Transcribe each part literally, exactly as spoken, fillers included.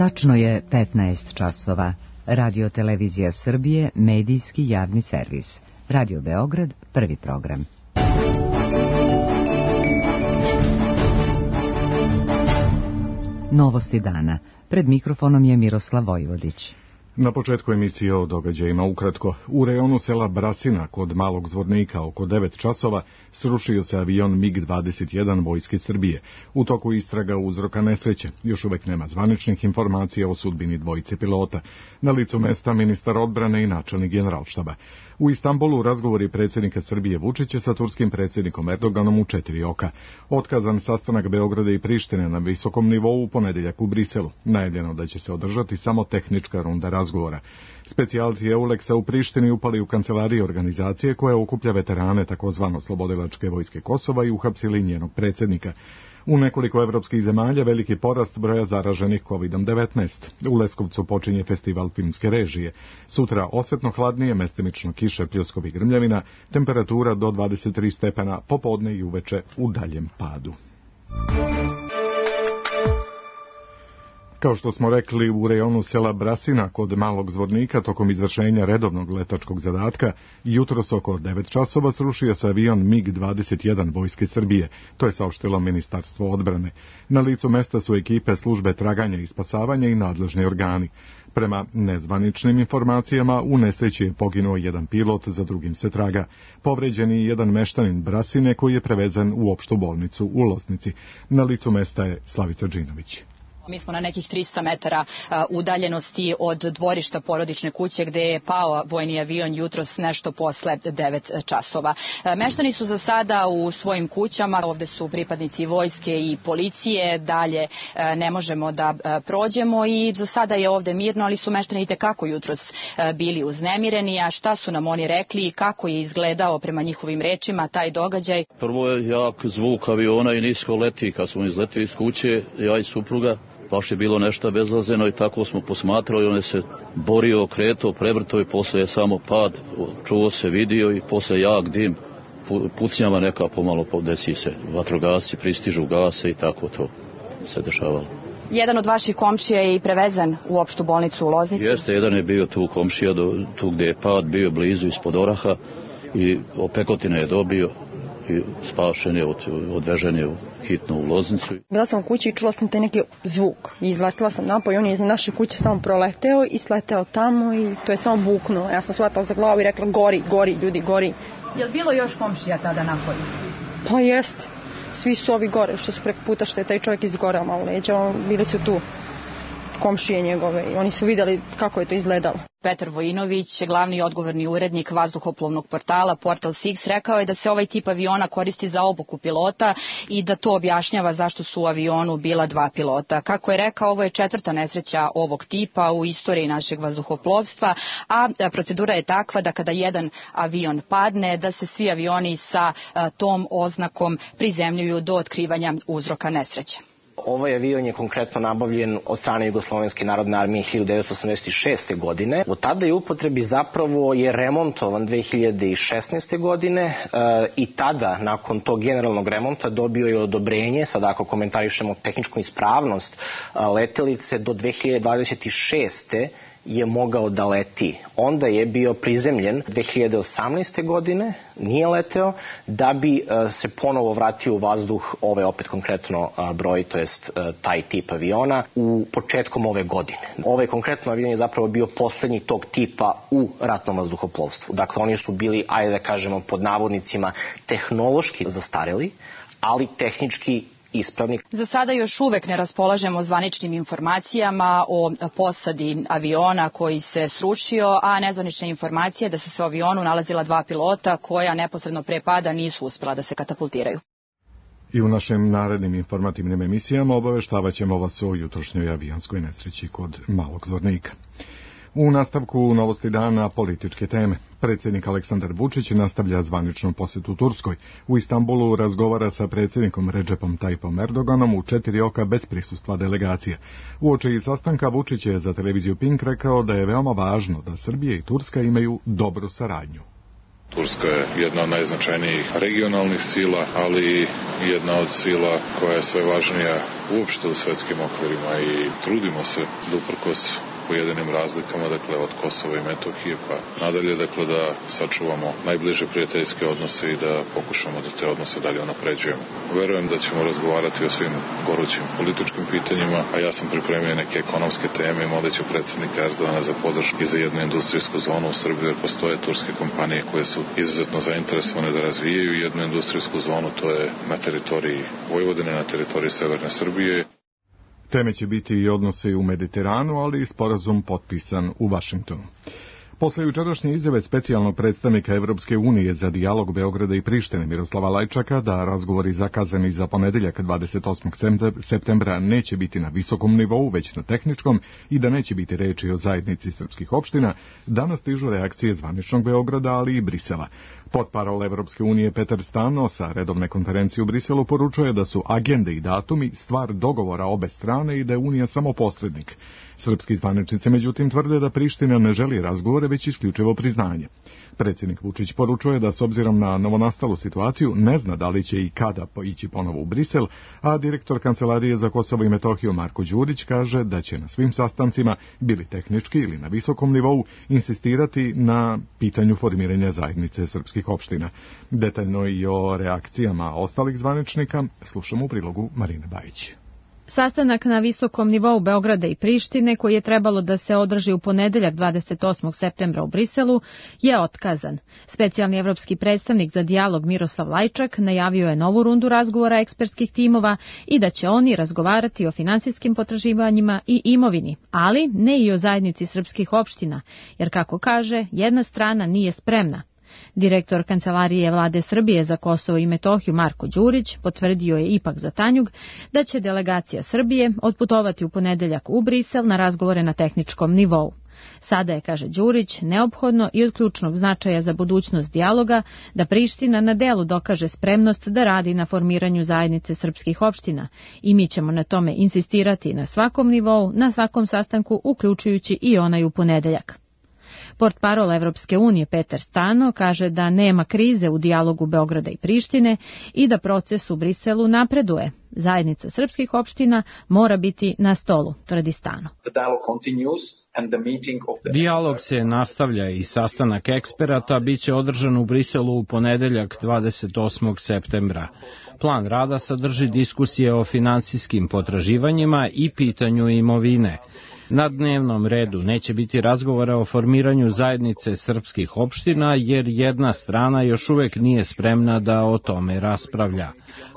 Tačno je petnaest časova. Radio Televizija Srbije, medijski javni servis. Radio Beograd, prvi program. Novosti dana. Pred mikrofonom je Miroslav Vojvodić. Na početku emisije o događajima ukratko. U rejonu sela Brasina kod Malog Zvornika oko devet časova srušio se avion mig dvadeset jedan Vojske Srbije. U toku istraga uzroka nesreće. Još uvek nema zvaničnih informacija o sudbini dvojice pilota. Na licu mesta ministar odbrane i načelnik Generalštaba. U Istanbulu razgovori predsjednika Srbije Vučića sa turskim predsjednikom Erdoganom u četiri oka. Otkazan sastanak Beograda i Prištine na visokom nivou u ponedjeljak u Briselu. Najavljeno da će se održati samo tehnička runda razgovora. Specijalci Euleksa u Prištini upali u kancelariji organizacije koja okuplja veterane takozvano Slobodilačke vojske Kosova i uhapsili njenog predsjednika. U nekoliko evropskih zemalja veliki porast broja zaraženih kovid devetnaest. U Leskovcu počinje festival filmske režije. Sutra osetno hladnije, mestimično kiše, pljuskov i grmljavina, temperatura do dvadeset tri stepena, popodne i uveče u daljem padu. Kao što smo rekli, u rejonu sela Brasina kod Malog Zvornika tokom izvršenja redovnog letačkog zadatka jutros oko devet časova srušio se avion mig dvadeset jedan Vojske Srbije. To je saopštilo Ministarstvo odbrane. Na licu mesta su ekipe službe traganja i spasavanja i nadležni organi. Prema nezvaničnim informacijama, u nesreći je poginuo jedan pilot, za drugim se traga. Povređen je jedan meštanin Brasine koji je prevezen u opštu bolnicu u Losnici. Na licu mesta je Slavica Đinović. Mi smo na nekih trista metara udaljenosti od dvorišta porodične kuće gde je pao vojni avion jutros nešto posle devet časova. Meštani su za sada u svojim kućama, ovde su pripadnici vojske i policije, dalje ne možemo da prođemo i za sada je ovde mirno, ali su meštani itekako jutros bili uznemireni, a šta su nam oni rekli i kako je izgledao prema njihovim rečima taj događaj. Prvo je jak zvuk aviona i nisko leti, kad smo izletili iz kuće, ja i supruga. Baš je bilo nešto bezazleno i tako smo posmatrali, on je se borio, kretao, prevrtao i posle je samo pad, čuo se, vidio i posle jak dim, pucnjava neka pomalo desi se, vatrogasci pristižu, gase i tako to se dešavalo. Jedan od vaših komšija je i prevezen u opštu bolnicu u Loznici? Jeste, jedan je bio tu komšija, do, tu gde je pad, bio blizu ispod Oraha i opekotine je dobio i spašen je, od, odvežen je hitno u Loznicu. Bila sam u kući i čula sam taj neki zvuk. I izletila sam napoj, on je iz naše kuće samo proleteo i sleteo tamo i to je samo buknulo. Ja sam shvatala za glavu i rekla gori, gori, ljudi, gori. Je li bilo još komšija tada napolju? Pa jeste. Svi su ovi gore, što su preko puta, što je taj čovjek izgoreo malo leđa, bili su tu komšije njegove i oni su vidjeli kako je to izgledalo. Petar Vojinović, glavni odgovorni urednik vazduhoplovnog portala Portal Six, rekao je da se ovaj tip aviona koristi za obuku pilota i da to objašnjava zašto su u avionu bila dva pilota. Kako je rekao, ovo je četvrta nesreća ovog tipa u istoriji našeg vazduhoplovstva, a procedura je takva da kada jedan avion padne, da se svi avioni sa tom oznakom prizemljuju do otkrivanja uzroka nesreće. Ovaj avion je konkretno nabavljen od strane Jugoslovenske narodne armije hiljadu devetsto osamdeset šeste. godine. Od tada je upotrebi zapravo je remontovan dve hiljade šesnaeste. godine e, i tada, nakon tog generalnog remonta, dobio je odobrenje, sad ako komentarišemo tehničku ispravnost letelice, do dve hiljade dvadeset šeste. je mogao da leti. Onda je bio prizemljen dve hiljade osamnaeste. godine, nije leteo, da bi uh, se ponovo vratio u vazduh, ove opet konkretno uh, broj, to jest uh, taj tip aviona, u početkom ove godine. Ovaj konkretno avion je zapravo bio poslednji tog tipa u ratnom vazduhoplovstvu. Dakle, oni su bili, ajde da kažemo, pod navodnicima, tehnološki zastareli, ali tehnički ispravni. Za sada još uvek ne raspolažemo zvaničnim informacijama o posadi aviona koji se srušio, a nezvanične informacije da su se u avionu nalazila dva pilota koja neposredno pre pada nisu uspela da se katapultiraju. I u našim narednim informativnim emisijama obaveštavat ćemo vas o jutrošnjoj avijanskoj nesreći kod Malog Zvornika. U nastavku novosti dana političke teme. Predsjednik Aleksandar Vučić nastavlja zvaničnu posetu Turskoj. U Istanbulu razgovara sa predsjednikom Redžepom Tajipom Erdoganom u četiri oka bez prisustva delegacije. Uoči sastanka Vučić je za televiziju Pink rekao da je veoma važno da Srbija i Turska imaju dobru saradnju. Turska je jedna od najznačajnijih regionalnih sila, ali i jedna od sila koja je sve važnija uopšte u svetskim okvirima i trudimo se da uprkos pojedinim razlikama, dakle od Kosova i Metohije pa nadalje, dakle da sačuvamo najbliže prijateljske odnose i da pokušamo da te odnose dalje unapređujemo. Verujem da ćemo razgovarati o svim gorućim političkim pitanjima, a ja sam pripremio neke ekonomske teme i molit ću predsjednika Erdogana za podršku i za jednu industrijsku zonu u Srbiji, jer postoje turske kompanije koje su izuzetno zainteresovane da razvijaju jednu industrijsku zonu, to je na teritoriji Vojvodine, na teritoriji severne Srbije. Teme će biti i odnose u Mediteranu, ali i sporazum potpisan u Vašingtonu. Posle jučerašnje izjave specijalnog predstavnika Evropske unije za dijalog Beograda i Prištine Miroslava Lajčaka da razgovori zakazani za ponedeljak dvadeset osmog septembra neće biti na visokom nivou, već na tehničkom i da neće biti reči o zajednici srpskih opština, danas stižu reakcije zvaničnog Beograda, ali i Brisela. Potparol Evropske unije Petar Stano sa redovne konferencije u Briselu poručuje da su agende i datumi stvar dogovora obe strane i da je Unija samo posrednik. Srpski zvaničnici međutim tvrde da Priština ne želi razgovore, već isključivo priznanje. Predsjednik Vučić poručuje da s obzirom na novonastalu situaciju ne zna da li će i kada ići ponovo u Brisel, a direktor Kancelarije za Kosovo i Metohiju Marko Đurić kaže da će na svim sastancima, bili tehnički ili na visokom nivou, insistirati na pitanju formiranja zajednice srpskih opština. Detaljno i o reakcijama ostalih zvaničnika slušamo u prilogu Marine Bajić. Sastanak na visokom nivou Beograda i Prištine, koji je trebalo da se održi u ponedeljak dvadeset osmog septembra u Briselu, je otkazan. Specijalni evropski predstavnik za dijalog Miroslav Lajčak najavio je novu rundu razgovora ekspertskih timova i da će oni razgovarati o finansijskim potraživanjima i imovini, ali ne i o zajednici srpskih opština, jer kako kaže, jedna strana nije spremna. Direktor Kancelarije Vlade Srbije za Kosovo i Metohiju Marko Đurić potvrdio je ipak za Tanjug da će delegacija Srbije otputovati u ponedeljak u Brisel na razgovore na tehničkom nivou. Sada je, kaže Đurić, neophodno i od ključnog značaja za budućnost dijaloga da Priština na delu dokaže spremnost da radi na formiranju zajednice srpskih opština i mi ćemo na tome insistirati na svakom nivou, na svakom sastanku, uključujući i onaj u ponedeljak. Portparol Evropske unije Petar Stano kaže da nema krize u dijalogu Beograda i Prištine i da proces u Briselu napreduje. Zajednica srpskih opština mora biti na stolu, tvrdi Stano. Dijalog se nastavlja i sastanak eksperata biće održan u Briselu u ponedeljak dvadeset osmog septembra. Plan rada sadrži diskusije o finansijskim potraživanjima i pitanju imovine. Na dnevnom redu neće biti razgovora o formiranju zajednice srpskih opština, jer jedna strana još uvek nije spremna da o tome raspravlja.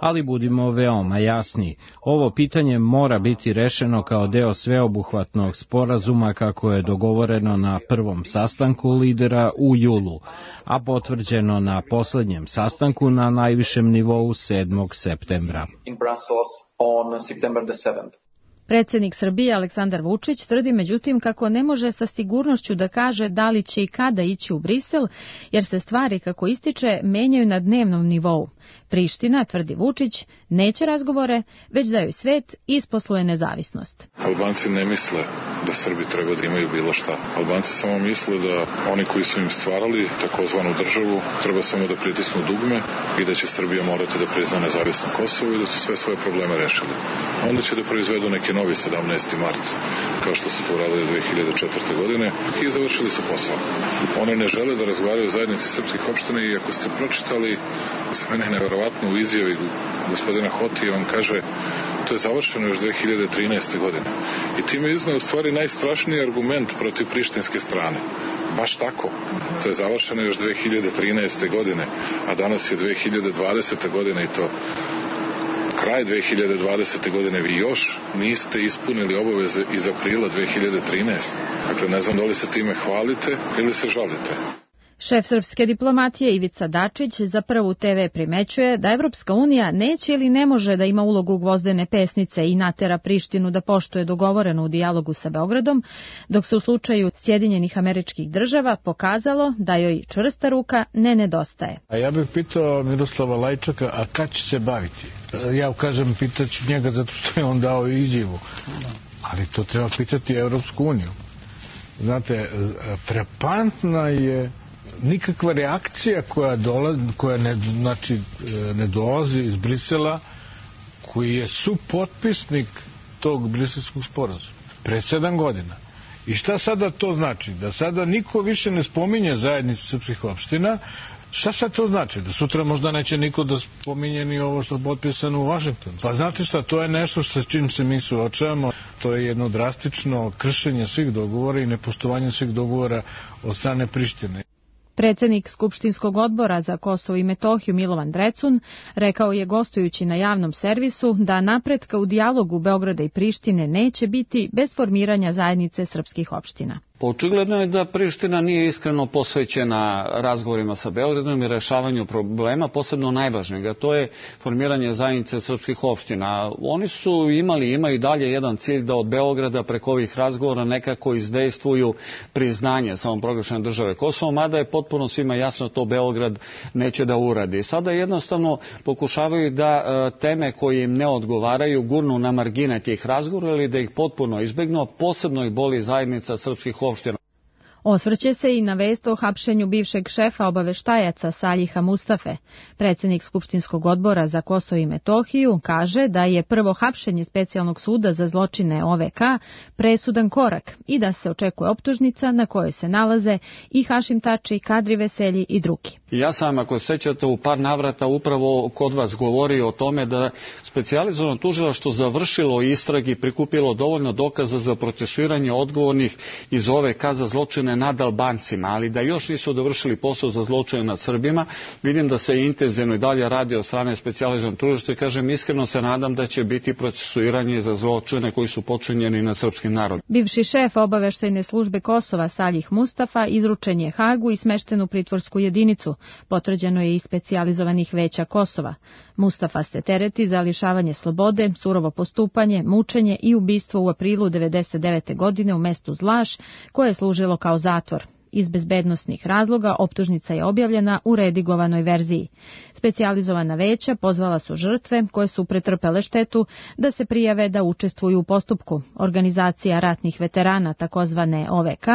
Ali budimo veoma jasni, ovo pitanje mora biti rešeno kao deo sveobuhvatnog sporazuma kako je dogovoreno na prvom sastanku lidera u julu, a potvrđeno na poslednjem sastanku na najvišem nivou sedmog septembra. Predsjednik Srbije Aleksandar Vučić tvrdi međutim kako ne može sa sigurnošću da kaže da li će i kada ići u Brisel, jer se stvari, kako ističe, menjaju na dnevnom nivou. Priština, tvrdi Vučić, neće razgovore, već da joj svet isposluje nezavisnost. Albanci ne misle da Srbi treba da imaju bilo šta. Albanci samo misle da oni koji su im stvarali takozvanu državu treba samo da pritisnu dugme i da će Srbija morati da prizna nezavisno Kosovo i da su sve svoje probleme rešili. Onda će da proizvedu neki novi sedamnaesti mart, kao što su to uradili dve hiljade četvrte. godine i završili su posao. Oni ne žele da razgovaraju o zajednici srpskih opština i ako ste pročitali, za mene je neverovatno u izjavi gospodina Hotija, on kaže to je završeno još dve hiljade trinaeste. godine. I time iznao u stvari najstrašniji argument protiv prištinske strane. Baš tako. To je završeno još dve hiljade trinaeste. godine, a danas je dve hiljade dvadesete. godina i to kraj dve hiljade dvadesete. godine vi još niste ispunili obaveze iz aprila dve hiljade trinaeste. Dakle, ne znam da li se time hvalite ili se žalite. Šef srpske diplomatije Ivica Dačić za Prvu te ve primećuje da Evropska unija neće ili ne može da ima ulogu gvozdene pesnice i natera Prištinu da poštuje dogovoreno u dijalogu sa Beogradom, dok se u slučaju Sjedinjenih Američkih Država pokazalo da joj čvrsta ruka ne nedostaje. A ja bih pitao Miroslava Lajčaka, a kad će se baviti? Ja kažem, pitaću njega zato što je on dao izjavu, ali to treba pitati Evropsku uniju. Znate, frapantna je nikakva reakcija koja, dolazi, koja ne, znači, ne dolazi iz Brisela, koji je supotpisnik tog briselskog sporazuma. Pre sedam godina. I šta sada to znači? Da sada niko više ne spominje zajednicu srpskih opština. Šta sad to znači? Da sutra možda neće niko da spominje ni ovo što je potpisano u Vašingtonu. Pa znate šta, to je nešto sa čim se mi suočavamo. To je jedno drastično kršenje svih dogovora i nepoštovanje svih dogovora od strane Prištine. Predsednik Skupštinskog odbora za Kosovo i Metohiju Milovan Drecun rekao je gostujući na javnom servisu da napretka u dijalogu Beograda i Prištine neće biti bez formiranja zajednice srpskih opština. Očigledno je da Priština nije iskreno posvećena razgovorima sa Beogradom i rešavanju problema, posebno najvažnijeg, a to je formiranje zajednice srpskih opština. Oni su imali, imaju dalje jedan cilj da od Beograda preko ovih razgovora nekako izdejstvuju priznanje samoproglašene države Kosovo, mada je potpuno svima jasno to Beograd neće da uradi. Sada jednostavno pokušavaju da teme koje im ne odgovaraju gurnu na margine tih razgovora ili da ih potpuno izbegnu, posebno ih boli zajednica srpskih opština. Osvrće se i na vest o hapšenju bivšeg šefa obaveštajaca Saljiha Mustafe. Predsednik Skupštinskog odbora za Kosovo i Metohiju kaže da je prvo hapšenje specijalnog suda za zločine O V K presudan korak i da se očekuje optužnica na kojoj se nalaze i Hašim Tači, Kadri Veselji i drugi. Ja sam, ako se sećate, u par navrata upravo kod vas govorio o tome da specijalizovano tužilaštvo završilo istragi i prikupilo dovoljno dokaza za procesuiranje odgovornih iz O V K za zločine nad Albancima, ali da još nisu dovršili posao za zločine nad Srbima. Vidim da se intenzivno i dalje radi od strane specijalizovanog tužilaštva i kažem, iskreno se nadam da će biti procesuiranje za zločine koji su počinjeni na srpskim narodom. Bivši šef obaveštajne službe Kosova Saljih Mustafa izručen je Hagu i smešten u pritvorsku jedinicu. Potvrđeno je i specijalizovanih veća Kosova. Mustafa se tereti za lišavanje slobode, surovo postupanje, mučenje i ubistvo u aprilu devedeset devete. godine u mestu Zlaš, koje je služilo kao zatvor. Iz bezbednosnih razloga optužnica je objavljena u redigovanoj verziji. Specijalizovana veća pozvala su žrtve koje su pretrpele štetu da se prijave da učestvuju u postupku. Organizacija ratnih veterana, takozvane O V K,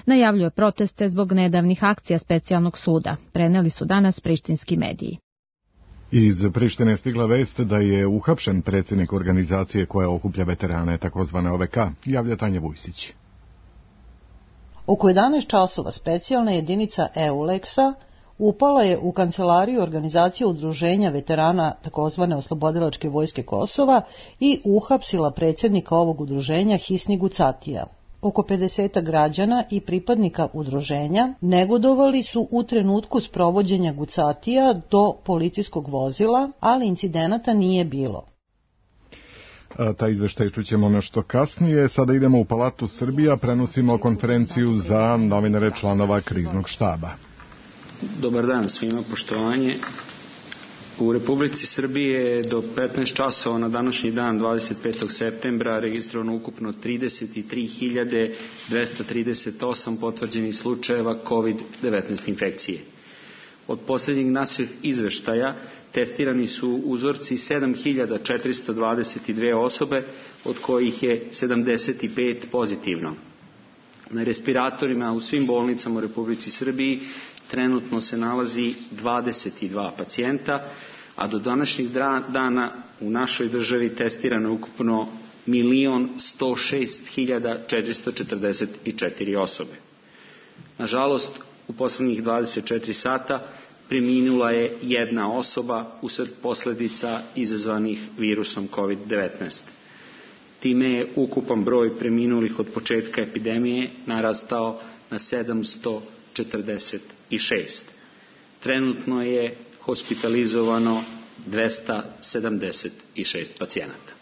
najavljuje proteste zbog nedavnih akcija specijalnog suda. Preneli su danas prištinski mediji. Iz Prištine je stigla vest da je uhapšen predsjednik organizacije koja okuplja veterane, takozvane O V K, javlja Tanja Vujsić. Oko jedanaest časova specijalna jedinica EULEX-a upala je u kancelariju organizacije udruženja veterana takozvane Oslobodilačke vojske Kosova i uhapsila predsjednika ovog udruženja Hisni Gucatija. Oko pedeset građana i pripadnika udruženja negodovali su u trenutku sprovođenja Gucatija do policijskog vozila, ali incidenata nije bilo. A taj izveštaj čućemo nešto kasnije. Sada idemo u Palatu Srbija, prenosimo konferenciju za novinare članova kriznog štaba. Dobar dan svima, poštovanje. U Republici Srbije je do petnaest časova na današnji dan dvadeset petog septembra registrovano ukupno trideset tri hiljade dvesta trideset osam potvrđenih slučajeva kovid devetnaest infekcije. Od posljednjeg naših izveštaja testirani su uzorci sedam hiljada četiristo dvadeset dve osobe, od kojih je sedamdeset pet pozitivno. Na respiratorima u svim bolnicama u Republici Srbiji trenutno se nalazi dvadeset dva pacijenta, a do današnjeg dana u našoj državi testirano je ukupno milion sto šest hiljada četiristo četrdeset četiri osobe. Nažalost, u poslednjih dvadeset četiri sata preminula je jedna osoba usled posledica izazvanih virusom kovid devetnaest. Time je ukupan broj preminulih od početka epidemije narastao na sedamsto četrdeset šest. Trenutno je hospitalizovano dvesta sedamdeset šest pacijenata.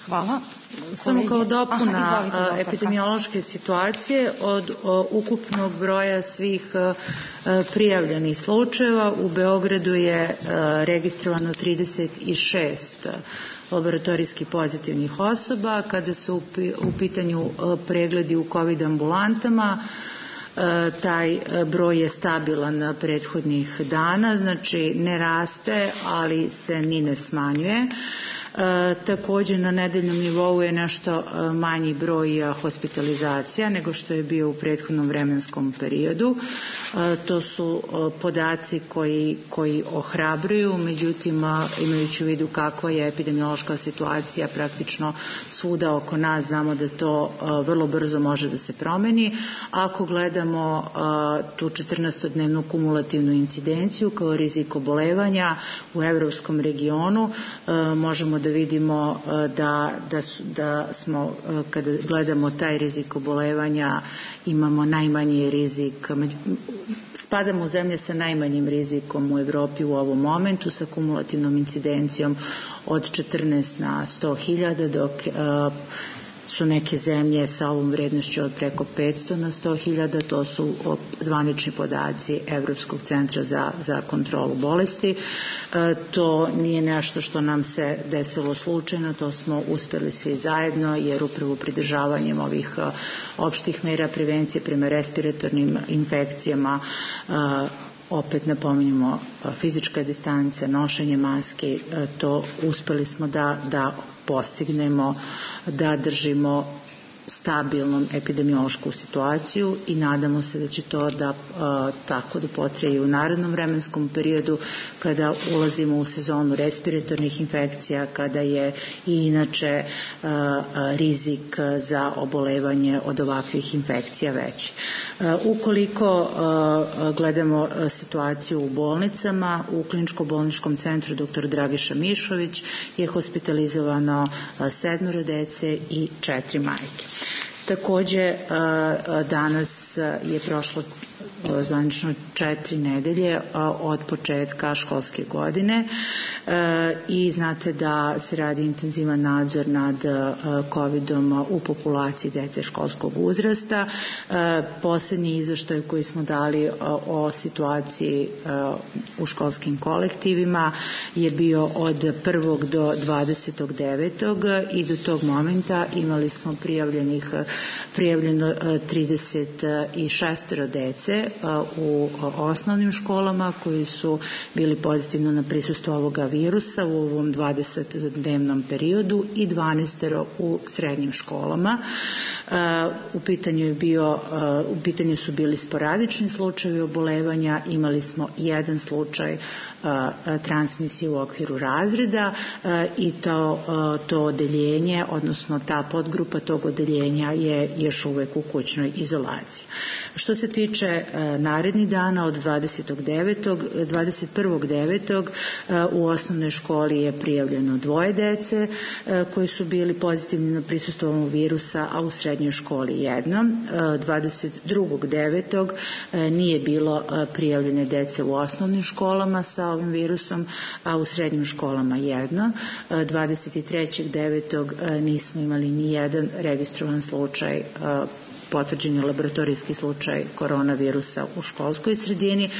Hvala. Samo kao dopuna Aha, epidemiološke situacije, od o, ukupnog broja svih o, prijavljenih slučajeva u Beogradu je o, registrovano trideset šest laboratorijski pozitivnih osoba. Kada su u pitanju o, pregledi u COVID ambulantama, o, taj broj je stabilan prethodnih dana, znači ne raste, ali se ni ne smanjuje. Takođe na nedeljnom nivou je nešto manji broj hospitalizacija nego što je bio u prethodnom vremenskom periodu. To su podaci koji, koji ohrabruju, međutim imajući u vidu kakva je epidemiološka situacija praktično svuda oko nas, znamo da to vrlo brzo može da se promeni. Ako gledamo tu četrnaestodnevnu kumulativnu incidenciju kao rizik obolevanja u evropskom regionu, možemo da vidimo da, da, da smo, kada gledamo taj rizik obolevanja, imamo najmanji rizik, spadamo u zemlje sa najmanjim rizikom u Evropi u ovom momentu, sa kumulativnom incidencijom od četrnaest na sto hiljada, dok su neke zemlje sa ovom vrednošću od preko petsto na sto hiljada, to su zvanični podaci Evropskog centra za, za kontrolu bolesti. E, to nije nešto što nam se desilo slučajno, to smo uspeli svi zajedno, jer upravo pridržavanjem ovih a, opštih mera prevencije prema respiratornim infekcijama, a, opet napominjemo fizička distanca, nošenje maske, to uspeli smo da, da postignemo, da držimo stabilnom epidemiološku situaciju i nadamo se da će to da a, tako da potraje u narednom vremenskom periodu kada ulazimo u sezonu respiratornih infekcija, kada je i inače a, a, rizik za obolevanje od ovakvih infekcija veći. A, ukoliko a, gledamo situaciju u bolnicama, u kliničko-bolničkom centru dr. Dragiša Mišović je hospitalizovano sedmoro dece i četiri majke. Takođe, danas je prošlo zvanično četiri nedelje od početka školske godine i znate da se radi intenzivan nadzor nad kovidom u populaciji dece školskog uzrasta. Poslednji izveštaj koji smo dali o situaciji u školskim kolektivima je bio od prvog do dvadesetog devetog i do tog momenta imali smo prijavljenih prijavljeno trideset šest dece u osnovnim školama koji su bili pozitivno na prisustvo ovoga virusa u ovom dvadesetodnevnom periodu i dvanaest u srednjim školama. U pitanju je bio, u pitanju su bili sporadični slučajevi obolevanja, imali smo jedan slučaj transmisije u okviru razreda i to, to odeljenje, odnosno ta podgrupa tog odeljenja je još uvek u kućnoj izolaciji. Što se tiče narednih dana od dvadesetog devetog dvadeset prvog devetog u osnovnoj školi je prijavljeno dvoje dece koji su bili pozitivni na prisustvo ovog virusa, a u srednjoj školi jedno. dvadeset drugog devetog nije bilo prijavljene dece u osnovnim školama sa ovim virusom, a u srednjim školama jedno. dvadeset trećeg devetog nismo imali ni jedan registrovan slučaj, potvrđen je laboratorijski slučaj koronavirusa u školskoj sredini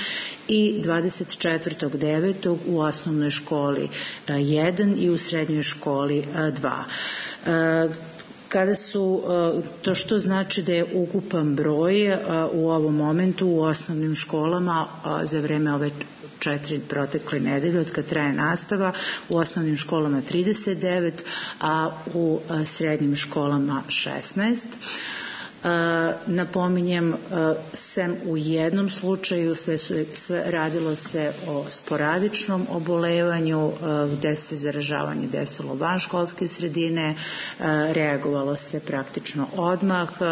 i dvadeset četvrtog devetog u osnovnoj školi jedan i u srednjoj školi dva. Kada su, to što znači da je ukupan broj u ovom momentu u osnovnim školama za vreme ove četiri protekle nedelje od kad traje nastava, u osnovnim školama trideset devet, a u srednjim školama šesnaest. Uh, napominjem, uh, sem u jednom slučaju sve, su, sve radilo se o sporadičnom obolevanju uh, gde se zaražavanje desilo van školske sredine, uh, reagovalo se praktično odmah, uh,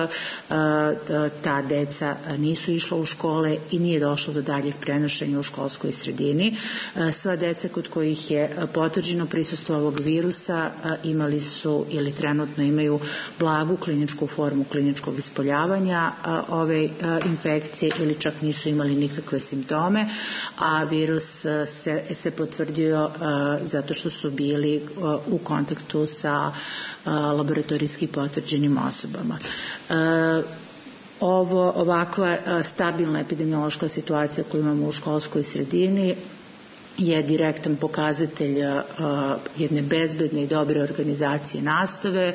ta deca nisu išla u škole i nije došlo do daljih prenošenja u školskoj sredini. Uh, sva deca kod kojih je potvrđeno prisustvo ovog virusa uh, imali su ili trenutno imaju blagu kliničku formu kliničkog ispoljavanja ove infekcije ili čak nisu imali nikakve simptome, a virus se, se potvrdio zato što su bili u kontaktu sa laboratorijski potvrđenim osobama. Ovo, ovakva stabilna epidemiološka situacija koju imamo u školskoj sredini je direktan pokazatelj jedne bezbedne i dobre organizacije nastave,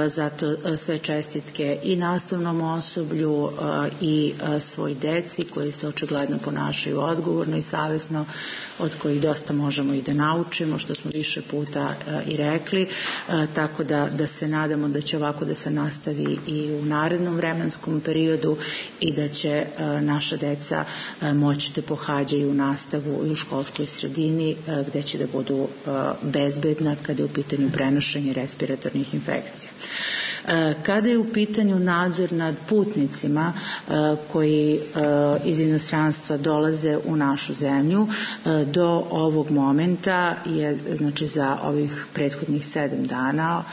zato sve čestitke i nastavnom osoblju i svoj deci koji se očigledno ponašaju odgovorno i savesno, od kojih dosta možemo i da naučimo, što smo više puta i rekli, tako da, da se nadamo da će ovako da se nastavi i u narednom vremenskom periodu i da će naša deca moći da pohađaju nastavu i u školskoj sredini gde će da budu bezbedna kada je u pitanju prenošenje respiratornih infekcija. Kada je u pitanju nadzor nad putnicima koji iz inostranstva dolaze u našu zemlju, do ovog momenta je, znači za ovih prethodnih sedam dana,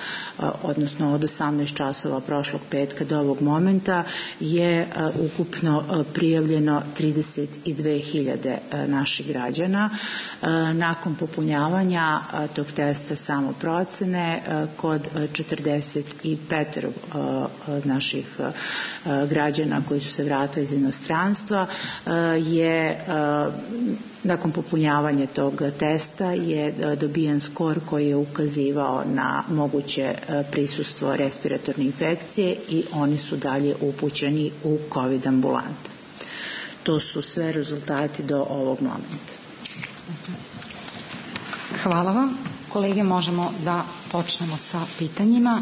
odnosno od osamnaest časova prošlog petka do ovog momenta, je ukupno prijavljeno trideset dve hiljade naših građana. Nakon popunjavanja tog testa samoprocene kod četrdeset pet naših građana koji su se vratili iz inostranstva je nakon popunjavanja tog testa je dobijen skor koji je ukazivao na moguće prisustvo respiratorne infekcije i oni su dalje upućeni u COVID ambulante. To su sve rezultati do ovog momenta. Hvala vam. Kolege, možemo da počnemo sa pitanjima.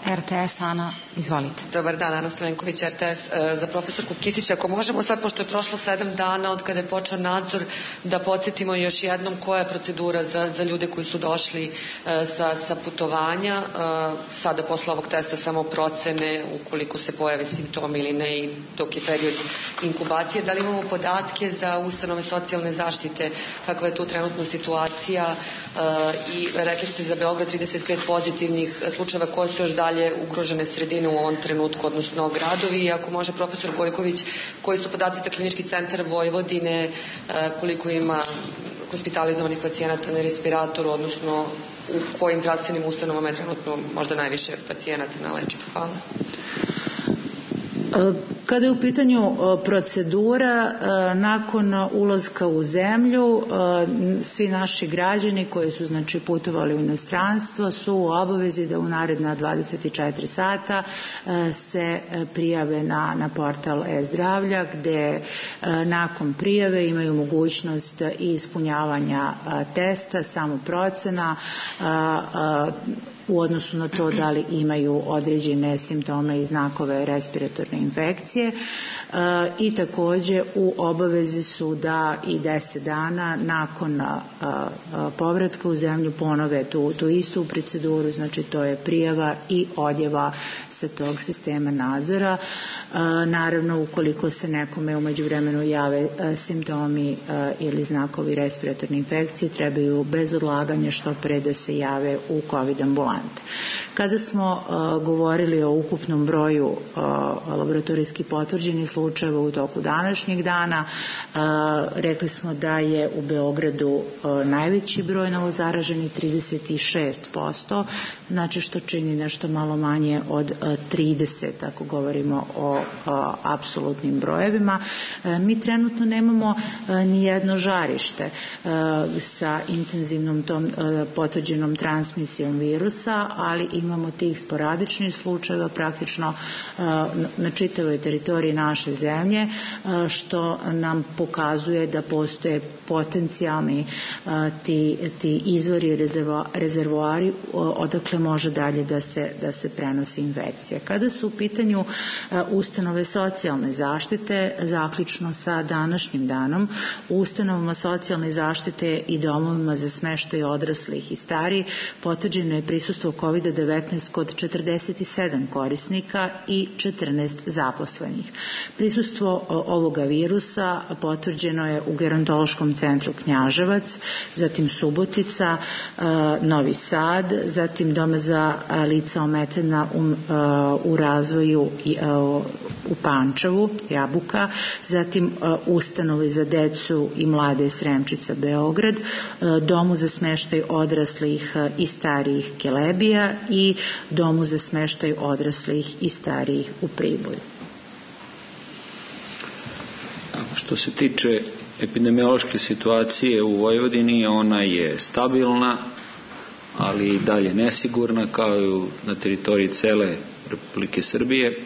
R T S, Ana, izvolite. Dobar dan, Ana Stavenković, R T S. Za profesorku Kisić, ako možemo sad, pošto je prošlo sedam dana od kada je počeo nadzor, da podsjetimo još jednom koja je procedura za, za ljude koji su došli sa, sa putovanja, sada posle ovog testa samo procene ukoliko se pojave simptomi ili ne i dok je period inkubacije. Da li imamo podatke za ustanove socijalne zaštite, kakva je tu trenutno situacija i rekli ste za Beograd trideset pet pozitivnih slučajeva, koje su još dalje ugrožene sredine u ovom trenutku, odnosno gradovi, i ako može profesor Gojković, koji su podaci za Klinički centar Vojvodine, koliko ima hospitalizovanih pacijenata na respiratoru, odnosno u kojim zdravstvenim ustanovama je trenutno možda najviše pacijenata na lečenju. Hvala. Kada je u pitanju procedura, nakon ulaska u zemlju, svi naši građani koji su, znači, putovali u inostranstvo su u obavezi da u naredna dvadeset četiri sata se prijave na, na portal e-zdravlja, gde nakon prijave imaju mogućnost i ispunjavanja testa, samoprocena, u odnosu na to da li imaju određene simptome i znakove respiratorne infekcije, i takođe u obavezi su da i deset dana nakon povratka u zemlju ponove tu, tu istu proceduru, znači to je prijava i odjava sa tog sistema nadzora. Naravno, ukoliko se nekome u međuvremenu jave simptomi ili znakovi respiratorne infekcije, trebaju bez odlaganja što pre da se jave u COVID ambulante. Kada smo uh, govorili o ukupnom broju uh, laboratorijski potvrđenih slučajeva u toku današnjeg dana, uh, rekli smo da je u Beogradu uh, najveći broj novozaraženih, trideset šest posto, znači što čini nešto malo manje od uh, trideset, ako govorimo o uh, apsolutnim brojevima. Uh, mi trenutno nemamo uh, ni jedno žarište uh, sa intenzivnom tom uh, potvrđenom transmisijom virusa, ali imamo tih sporadičnih slučajeva praktično na čitavoj teritoriji naše zemlje, što nam pokazuje da postoje potencijalni ti, ti izvori, rezervoari odakle može dalje da se, da se prenosi infekcija. Kada su u pitanju ustanove socijalne zaštite, zaključno sa današnjim danom, u ustanovama socijalne zaštite i domovima za smeštaj odraslih i starih potvrđeno je prisustvo COVID devetnaest kod četrdeset sedam korisnika i četrnaest zaposlenih. Prisustvo ovoga virusa potvrđeno je u Gerontološkom centru Knjaževac, zatim Subotica, Novi Sad, zatim Doma za lica ometena u, u razvoju u Pančevu, Jabuka, zatim Ustanovi za decu i mlade Sremčica, Beograd, Domu za smeštaj odraslih i starijih Kelebija i Domu za smeštaj odraslih i starijih u Priboju. Što se tiče epidemiološke situacije u Vojvodini, ona je stabilna, ali i dalje nesigurna, kao i na teritoriji cele Republike Srbije.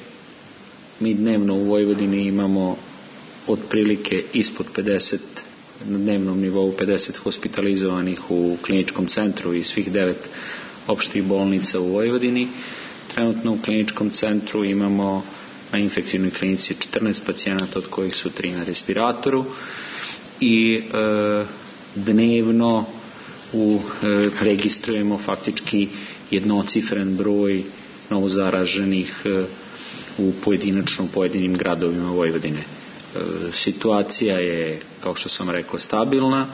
Mi dnevno u Vojvodini imamo otprilike ispod pedeset, na dnevnom nivou pedeset hospitalizovanih u kliničkom centru i svih devet opštih bolnica u Vojvodini. Trenutno u kliničkom centru imamo na infektivnoj klinici četrnaest pacijenata, od kojih su tri na respiratoru, i e, dnevno u, e, registrujemo faktički jednocifren broj novozaraženih e, u pojedinačno pojedinim gradovima Vojvodine. E, situacija je, kao što sam rekao, stabilna,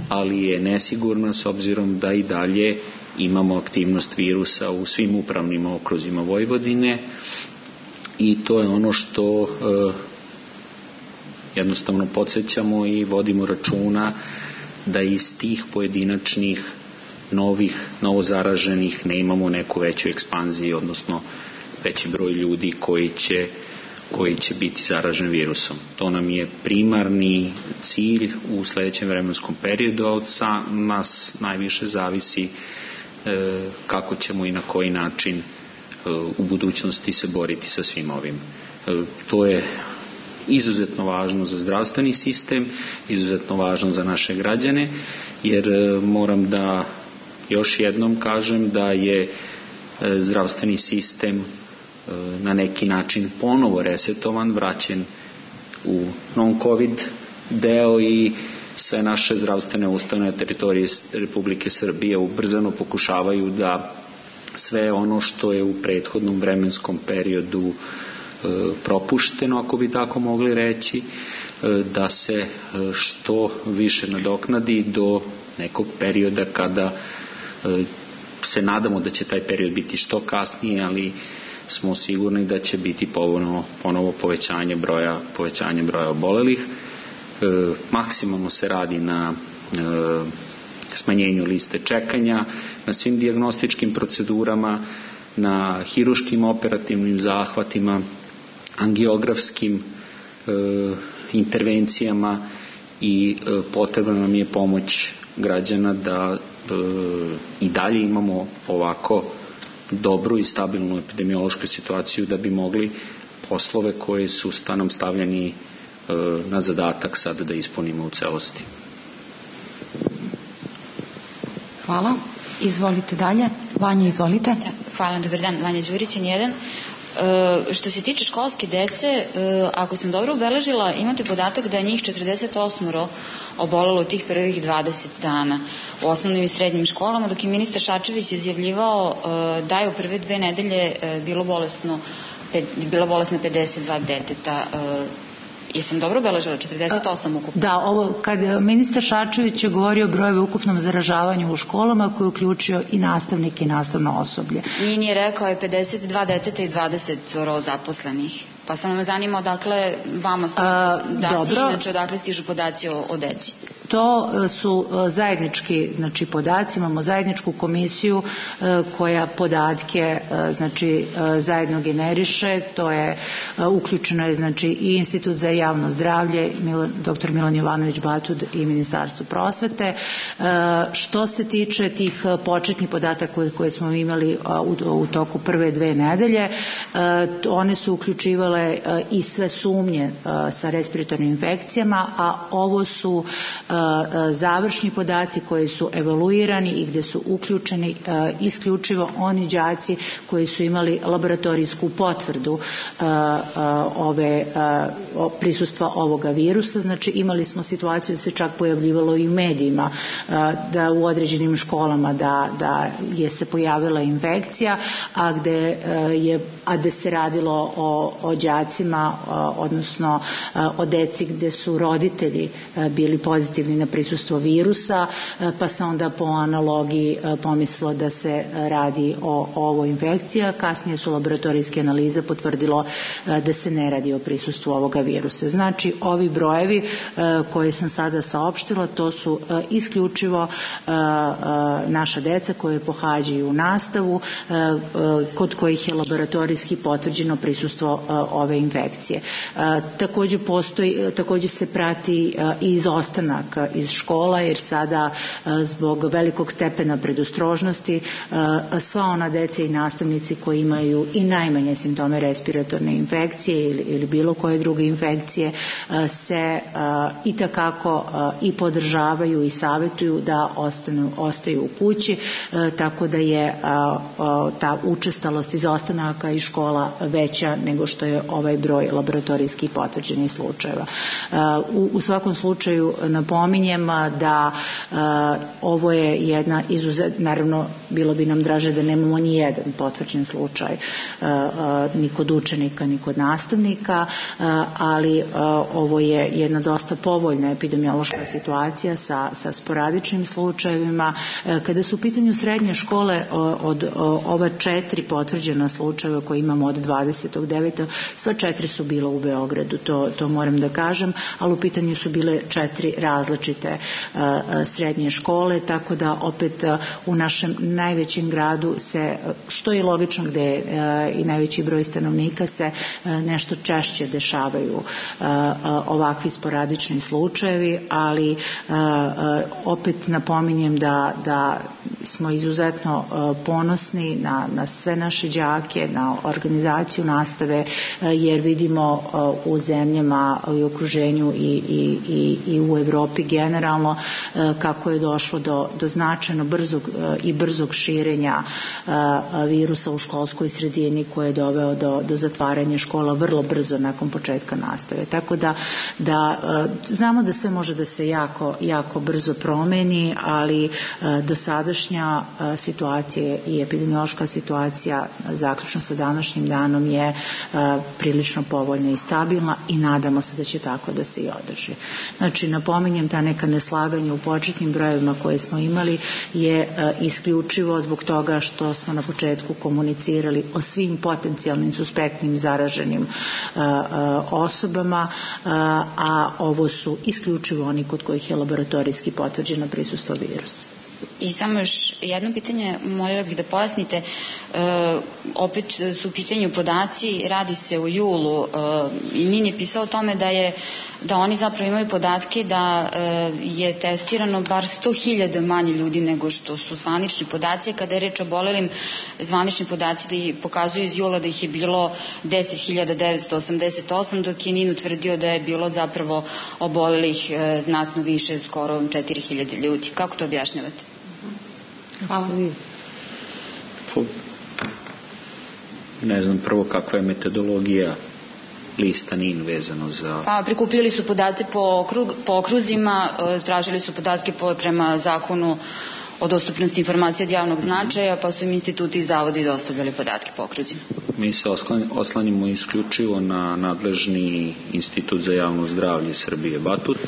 ali je nesigurna s obzirom da i dalje imamo aktivnost virusa u svim upravnim okruzima Vojvodine, i to je ono što e, jednostavno podsjećamo i vodimo računa da iz tih pojedinačnih novih, novozaraženih ne imamo neku veću ekspanziju, odnosno veći broj ljudi koji će, koji će biti zaražen virusom. To nam je primarni cilj u sledećem vremenskom periodu, a od nas najviše zavisi e, kako ćemo i na koji način e, u budućnosti se boriti sa svim ovim. E, to je izuzetno važno za zdravstveni sistem, izuzetno važno za naše građane, jer e, moram da još jednom kažem da je e, zdravstveni sistem e, na neki način ponovo resetovan, vraćen u non-covid deo, i sve naše zdravstvene ustanove na teritoriji Republike Srbije ubrzano pokušavaju da sve ono što je u prethodnom vremenskom periodu propušteno, ako bi tako mogli reći, da se što više nadoknadi do nekog perioda kada se nadamo da će taj period biti što kasnije, ali smo sigurni da će biti ponovno, ponovo povećanje broja, povećanje broja obolelih. Maksimalno se radi na smanjenju liste čekanja, na svim dijagnostičkim procedurama, na hiruškim operativnim zahvatima, angiografskim e, intervencijama, i e, potrebna nam je pomoć građana da e, i dalje imamo ovako dobru i stabilnu epidemiološku situaciju da bi mogli poslove koje su stanom stavljeni e, na zadatak sada da ispunimo u celosti. Hvala. Izvolite dalje. Vanja, izvolite. Da, hvala, dobar dan. Vanja Đurić, N jedan. E, što se tiče školske dece, e, ako sam dobro ubeležila, imate podatak da je njih četrdeset osam obolelo tih prvih dvadeset dana u osnovnim i srednjim školama, dok je ministar Šarčević izjavljivao e, da je u prve dve nedelje e, bilo bolesno, pe, bilo bolesno pedeset dva deteta. E, Jesam dobro obeležila, četrdeset osam ukupno? Da, ovo, kad ministar Šarčević je govorio o broju ukupnom zaražavanju u školama, koji je uključio i nastavnike i nastavno osoblje. Nije, nije rekao je pedeset dva deteta i dvadeset zaposlenih. Pa samo me zanima odakle vama stižu podaci, inače odakle stižu podaci o, o deci. To su zajednički, znači, podaci, imamo zajedničku komisiju koja podatke, znači, zajedno generiše, to je uključeno je, znači, i Institut za javno zdravlje, doktor Milan Jovanović Batud i Ministarstvo prosvete. Što se tiče tih početnih podataka koje, koje smo imali u, u toku prve dve nedelje, one su uključivale i sve sumnje sa respiratornim infekcijama, a ovo su završni podaci koji su evaluirani i gde su uključeni isključivo oni đaci koji su imali laboratorijsku potvrdu ove prisustva ovoga virusa. Znači, imali smo situaciju da se čak pojavljivalo i u medijima, da u određenim školama da, da je se pojavila infekcija, a gde je a gde se radilo o, o đacima, odnosno o deci gde su roditelji bili pozitivni potvrdi na prisustvo virusa, pa se onda po analogiji pomislilo da se radi o, o ovoj infekciji, a kasnije su laboratorijske analize potvrdilo da se ne radi o prisustvu ovoga virusa. Znači, ovi brojevi koje sam sada saopštila, to su isključivo naša deca koje pohađaju nastavu, kod kojih je laboratorijski potvrđeno prisustvo ove infekcije. Takođe postoji, takođe se prati i izostanak iz škola, jer sada zbog velikog stepena predostrožnosti sva ona deca i nastavnici koji imaju i najmanje simptome respiratorne infekcije ili, ili bilo koje druge infekcije se i takako i podržavaju i savjetuju da ostanu, ostaju u kući, tako da je ta učestalost izostanaka iz škola veća nego što je ovaj broj laboratorijski potvrđenih slučajeva. U, u svakom slučaju napominjem da ovo je jedna izuzet, naravno bilo bi nam draže da nemamo ni jedan potvrđen slučaj ni kod učenika ni kod nastavnika, ali ovo je jedna dosta povoljna epidemiološka situacija sa, sa sporadičnim slučajevima. Kada su u pitanju srednje škole, od ova četiri potvrđena slučajeva koje imamo od dvadesetog devetog sva četiri su bila u Beogradu, to, to moram da kažem, ali u pitanju su bile četiri različite srednje škole, tako da opet u našem najvećem gradu se, što je logično gde je i najveći broj stanovnika, se nešto češće dešavaju ovakvi sporadični slučajevi, ali opet napominjem da, da smo izuzetno ponosni na, na sve naše đake, na organizaciju nastave, jer vidimo u zemljama i okruženju i, i, i, i u Evropi generalno kako je došlo do, do značajno brzog i brzog širenja virusa u školskoj sredini koje je doveo do, do zatvaranja škola vrlo brzo nakon početka nastave. Tako da, da znamo da sve može da se jako, jako brzo promeni, ali dosadašnja situacija i epidemiološka situacija zaključno sa današnjim danom je prilično povoljna i stabilna i nadamo se da će tako da se i održi. Znači, napominjem, ta neka neslaganja u početnim brojevima koje smo imali je isključivo zbog toga što smo na početku komunicirali o svim potencijalnim suspektnim zaraženim osobama, a ovo su isključivo oni kod kojih je laboratorijski potvrđeno prisustvo virusa. I samo još jedno pitanje, moljela bih da pojasnite, e, opet su u pitanju podaci, radi se u julu, e, i Nin je pisao o tome da je da oni zapravo imaju podatke da e, je testirano bar sto hiljada manje ljudi nego što su zvanični podaci. Kada je reč o obolelim, zvanični podaci da i pokazuju iz jula da ih je bilo deset hiljada devetsto osamdeset osam, dok je Nin utvrdio da je bilo zapravo obolelih e, znatno više, skoro četiri hiljade ljudi. Kako to objašnjavate? Hvala. Ne znam prvo kakva je metodologija lista Nin vezano za... Pa, prikupili su podatke po, okrug, po okruzima, tražili su podatke po, prema zakonu o dostupnosti informacija od javnog značaja, pa su im instituti i zavodi dostavljali podatke po okruzima. Mi se oslanjamo isključivo na nadležni institut za javno zdravlje Srbije Batut,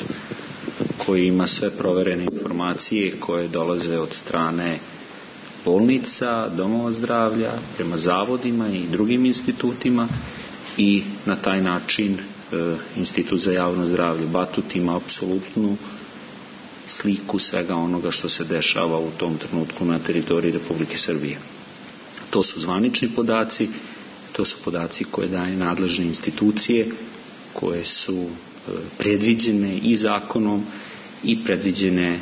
koji ima sve proverene informacije koje dolaze od strane bolnica, domova zdravlja, prema zavodima i drugim institutima, i na taj način e, Institut za javno zdravlje Batut ima apsolutnu sliku svega onoga što se dešava u tom trenutku na teritoriji Republike Srbije. To su zvanični podaci, to su podaci koje daje nadležne institucije, koje su e, predviđene i zakonom i predviđene e,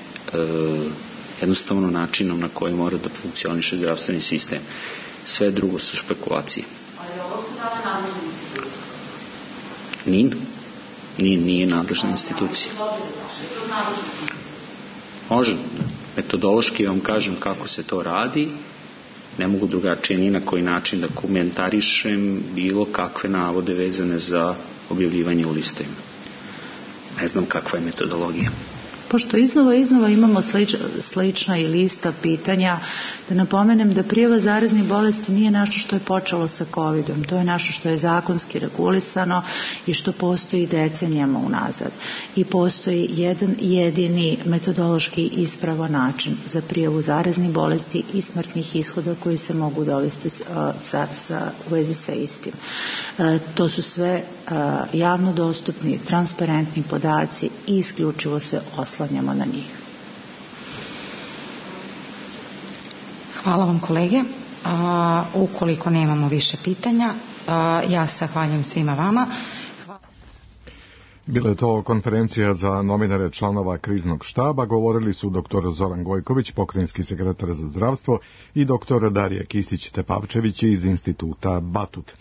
jednostavno načinom na koji mora da funkcioniše zdravstveni sistem. Sve drugo su špekulacije. Nin? Nin nije nadležna institucija. Može. Metodološki vam kažem kako se to radi. Ne mogu drugačije ni na koji način da komentarišem bilo kakve navode vezane za objavljivanje u listovima. Ne znam kakva je metodologija. Pošto iznova iznova imamo slič, slična i lista pitanja, da napomenem da prijava zaraznih bolesti nije nešto što je počelo sa kovidom, to je nešto što je zakonski regulisano i što postoji decenijama unazad. I postoji jedan jedini metodološki ispravan način za prijavu zaraznih bolesti i smrtnih ishoda koji se mogu dovesti sa, sa, sa, u vezi sa istim. E, to su sve e, javno dostupni, transparentni podaci i isključivo se oslanjamo na njih. Hvala vam kolege. A, ukoliko nemamo više pitanja, a, ja se zahvaljujem svima vama. Bila je to konferencija za novinare članova kriznog štaba. Govorili su doktor Zoran Gojković, pokrajinski sekretar za zdravstvo, i doktor Darija Kisić-Tepavčević iz instituta Batut.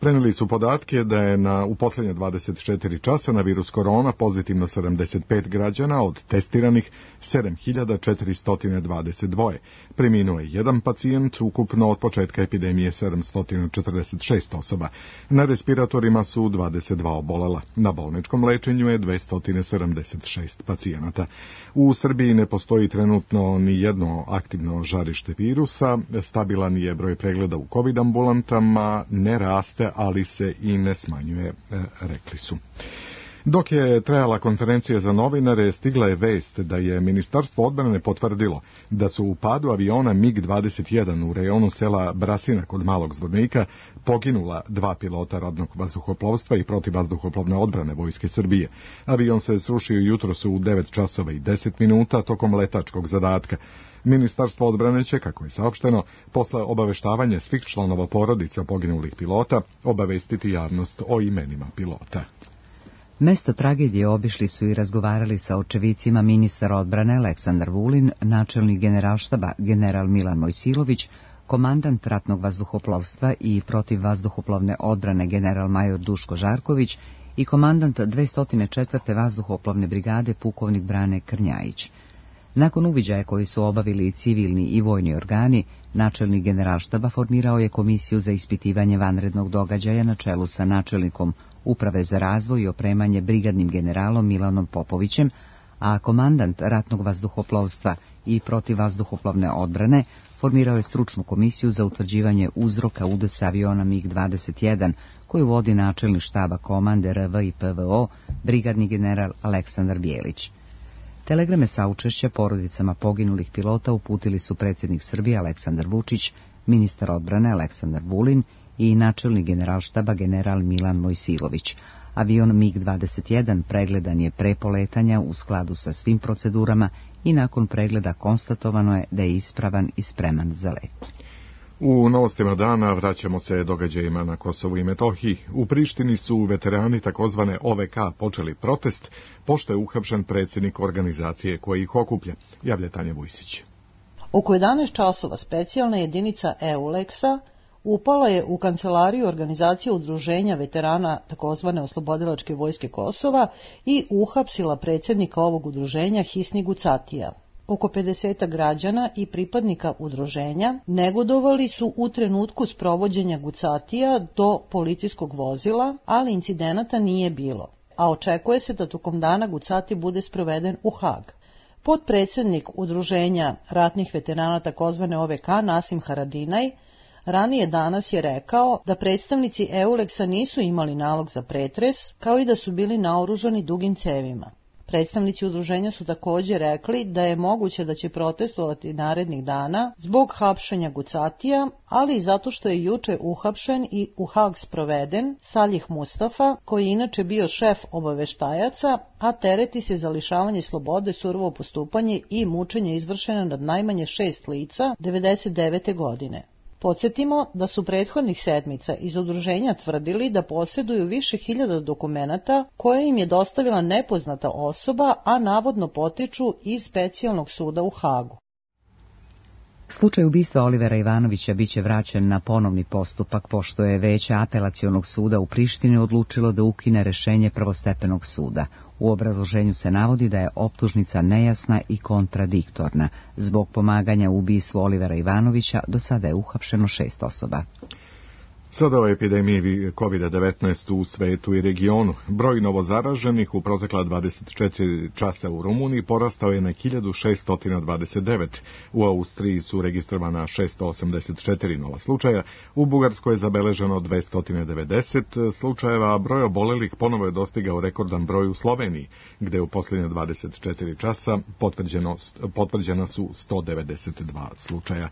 Preneli su podatke da je na, u posljednje dvadeset četiri časa na virus korona pozitivno sedamdeset pet građana, od testiranih sedam hiljada četiristo dvadeset dva. Preminuo je jedan pacijent, ukupno od početka epidemije sedamsto četrdeset šest osoba. Na respiratorima su dvadeset dva obolela. Na bolničkom lečenju je dvesta sedamdeset šest pacijenata. U Srbiji ne postoji trenutno ni jedno aktivno žarište virusa, stabilan je broj pregleda u COVID ambulantama, ne raste, ali se i ne smanjuje, rekli su. Dok je trajala konferencija za novinare, stigla je vest da je Ministarstvo odbrane potvrdilo da su u padu aviona mig dvadeset jedan u rejonu sela Brasina kod Malog Zvornika poginula dva pilota ratnog vazduhoplovstva i protivvazduhoplovne odbrane Vojske Srbije. Avion se srušio jutros u devet časova i deset minuta tokom letačkog zadatka. Ministarstvo odbrane će, kako je saopšteno, posle obaveštavanja svih članova porodica poginulih pilota, obavestiti javnost o imenima pilota. Mesto tragedije obišli su i razgovarali sa očevicima ministar odbrane Aleksandar Vulin, načelnik generalštaba general Milan Mojsilović, komandant ratnog vazduhoplovstva i protivvazduhoplovne odbrane general major Duško Žarković i komandant dvesta četvrte vazduhoplovne brigade pukovnik Brane Krnjajić. Nakon uviđaja koji su obavili civilni i vojni organi, načelnik generalštaba formirao je komisiju za ispitivanje vanrednog događaja na čelu sa načelnikom Uprave za razvoj i opremanje brigadnim generalom Milanom Popovićem, a komandant ratnog vazduhoplovstva i protivvazduhoplovne odbrane formirao je stručnu komisiju za utvrđivanje uzroka udesa aviona mig dvadeset jedan, koju vodi načelnik štaba komande R V i P V O, brigadni general Aleksandar Bijelić. Telegrame saučešća porodicama poginulih pilota uputili su predsjednik Srbije Aleksandar Vučić, ministar odbrane Aleksandar Vulin i načelnik generalštaba general Milan Mojsilović. Avion mig dvadeset jedan pregledan je pre poletanja u skladu sa svim procedurama i nakon pregleda konstatovano je da je ispravan i spreman za let. U novostima dana vraćamo se događajima na Kosovu i Metohiji. U Prištini su veterani takozvane O V K počeli protest, pošto je uhapšen predsjednik organizacije koja ih okuplja, javlja Tanja Vujsić. Oko jedanaest časova specijalna jedinica EULEX-a upala je u kancelariju organizacije udruženja veterana takozvane Oslobodilačke vojske Kosova i uhapsila predsjednika ovog udruženja Hisni Gucatija. Oko pedeset građana i pripadnika udruženja negodovali su u trenutku sprovođenja Gucatija do policijskog vozila, ali incidenata nije bilo, a očekuje se da tokom dana Gucati bude sproveden u Hag. Potpredsjednik udruženja ratnih veterana takozvane O V K Nasim Haradinaj ranije danas je rekao da predstavnici EULEX-a nisu imali nalog za pretres, kao i da su bili naoružani dugim cevima. Predstavnici udruženja su također rekli da je moguće da će protestovati narednih dana zbog hapšenja Gucatija, ali i zato što je juče uhapšen i u Hag sproveden Salih Mustafa, koji je inače bio šef obaveštajaca, a tereti se za lišavanje slobode, surovo postupanje i mučenje izvršeno nad najmanje šest lica devedeset devete godine. Podsjetimo da su prethodnih sedmica iz udruženja tvrdili da posjeduju više hiljada dokumenata koje im je dostavila nepoznata osoba, a navodno potiču iz specijalnog suda u Hagu. Slučaj ubistva Olivera Ivanovića biće vraćen na ponovni postupak, pošto je veće apelacionog suda u Prištini odlučilo da ukine rešenje prvostepenog suda. U obrazloženju se navodi da je optužnica nejasna i kontradiktorna. Zbog pomaganja u ubistvu Olivera Ivanovića do sada je uhapšeno šest osoba. Sada o epidemiji kovid devetnaest u svetu i regionu. Broj novozaraženih u protekla dvadeset četiri časa u Rumuniji porastao je na hiljadu šeststo dvadeset devet. U Austriji su registrovana šeststo osamdeset četiri nova slučaja, u Bugarskoj je zabeleženo dvesta devedeset slučajeva, a broj obolelih ponovo je dostigao rekordan broj u Sloveniji, gde u posljednje dvadeset četiri časa potvrđeno, potvrđena su sto devedeset dva slučaja.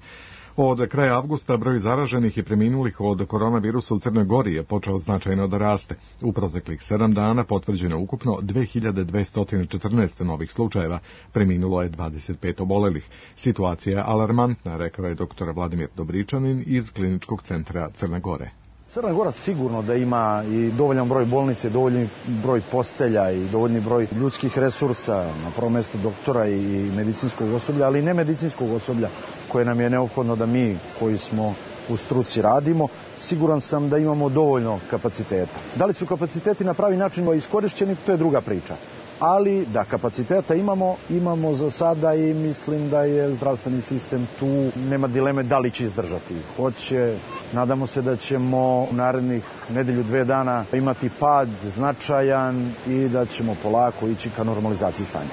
Od kraja avgusta broj zaraženih i preminulih od koronavirusa u Crnoj Gori je počeo značajno da raste. U proteklih sedam dana potvrđeno ukupno dve hiljade dvesta četrnaest novih slučajeva, preminulo je dvadeset pet obolelih. Situacija je alarmantna, rekao je doktor Vladimir Dobričanin iz Kliničkog centra Crne Gore. Crna Gora sigurno da ima i dovoljan broj bolnice, dovoljan broj postelja i dovoljni broj ljudskih resursa, na prvom mjestu doktora i medicinskog osoblja, ali i nemedicinskog osoblja koje nam je neophodno da mi koji smo u struci radimo. Siguran sam da imamo dovoljno kapaciteta. Da li su kapaciteti na pravi način iskorišćeni, to je druga priča. Ali da kapaciteta imamo, imamo za sada i mislim da je zdravstveni sistem tu, nema dileme da li će izdržati. Hoće, nadamo se da ćemo u narednih nedelju, dve dana imati pad značajan i da ćemo polako ići ka normalizaciji stanja.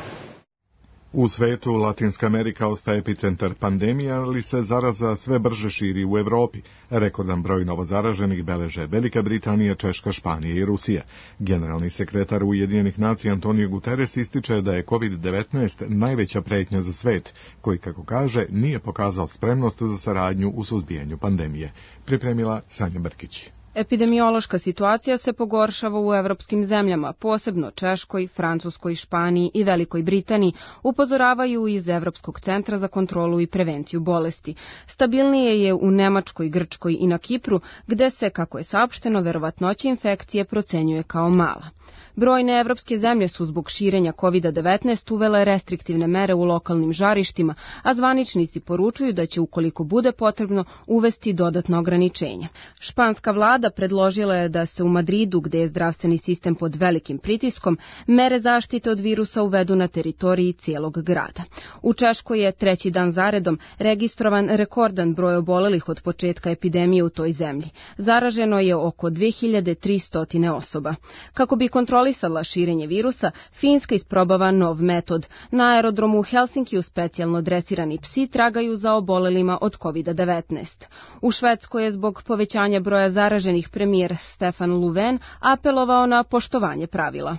U svetu Latinska Amerika ostaje epicentar pandemije, ali se zaraza sve brže širi u Evropi. Rekordan broj novozaraženih beleže Velika Britanija, Češka, Španija i Rusija. Generalni sekretar Ujedinjenih nacija Antonio Guterres ističe da je kovid devetnaest najveća pretnja za svet, koji, kako kaže, nije pokazao spremnost za saradnju u suzbijanju pandemije. Pripremila Sanja Brkić. Epidemiološka situacija se pogoršava u evropskim zemljama, posebno Češkoj, Francuskoj, Španiji i Velikoj Britaniji, upozoravaju iz Evropskog centra za kontrolu i prevenciju bolesti. Stabilnije je u Nemačkoj, Grčkoj i na Kipru, gde se, kako je saopšteno, verovatnoća infekcije procenjuje kao mala. Brojne evropske zemlje su zbog širenja kovid devetnaest uvele restriktivne mere u lokalnim žarištima, a zvaničnici poručuju da će, ukoliko bude potrebno, uvesti dodatno ograničenja. Španska vlada predložila je da se u Madridu, gde je zdravstveni sistem pod velikim pritiskom, mere zaštite od virusa uvedu na teritoriji cijelog grada. U Češkoj je treći dan zaredom registrovan rekordan broj obolelih od početka epidemije u toj zemlji. Zaraženo je oko dve hiljade tristo osoba. Kako bi kontrolisala širenje virusa, Finska isprobava nov metod. Na aerodromu u Helsinkiju specijalno dresirani psi tragaju za obolelima od kovid devetnaest. U Švedskoj je zbog povećanja broja zaraženih premijer Stefan Löfven apelovao na poštovanje pravila.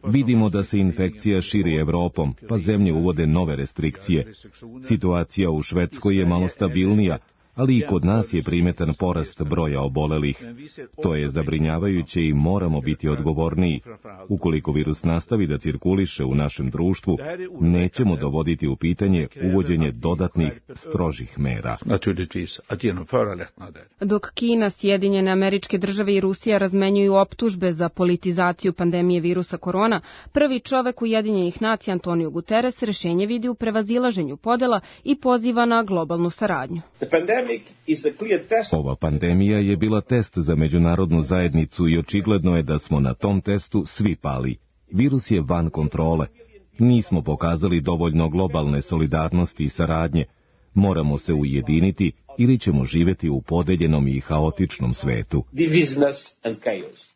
Vidimo da se infekcija širi Evropom, pa zemlje uvode nove restrikcije. Situacija u Švedskoj je malo stabilnija, ali i kod nas je primetan porast broja obolelih. To je zabrinjavajuće i moramo biti odgovorniji. Ukoliko virus nastavi da cirkuliše u našem društvu, nećemo dovoditi u pitanje uvođenje dodatnih, strožih mera. Dok Kina, Sjedinjene Američke Države i Rusija razmenjuju optužbe za politizaciju pandemije virusa korona, prvi čovek Ujedinjenih nacija Antonio Guterres rešenje vidi u prevazilaženju podela i poziva na globalnu saradnju. Ova pandemija je bila test za međunarodnu zajednicu i očigledno je da smo na tom testu svi pali. Virus je van kontrole. Nismo pokazali dovoljno globalne solidarnosti i saradnje. Moramo se ujediniti ili ćemo živjeti u podeljenom i haotičnom svetu.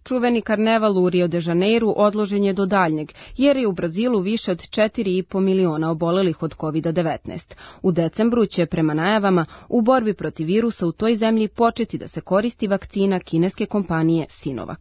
Čuveni karneval u Rio de Janeiru odložen je do daljnjeg, jer je u Brazilu više od četiri i po miliona obolelih od kovid devetnaest. U decembru će, prema najavama, u borbi protiv virusa u toj zemlji početi da se koristi vakcina kineske kompanije Sinovac.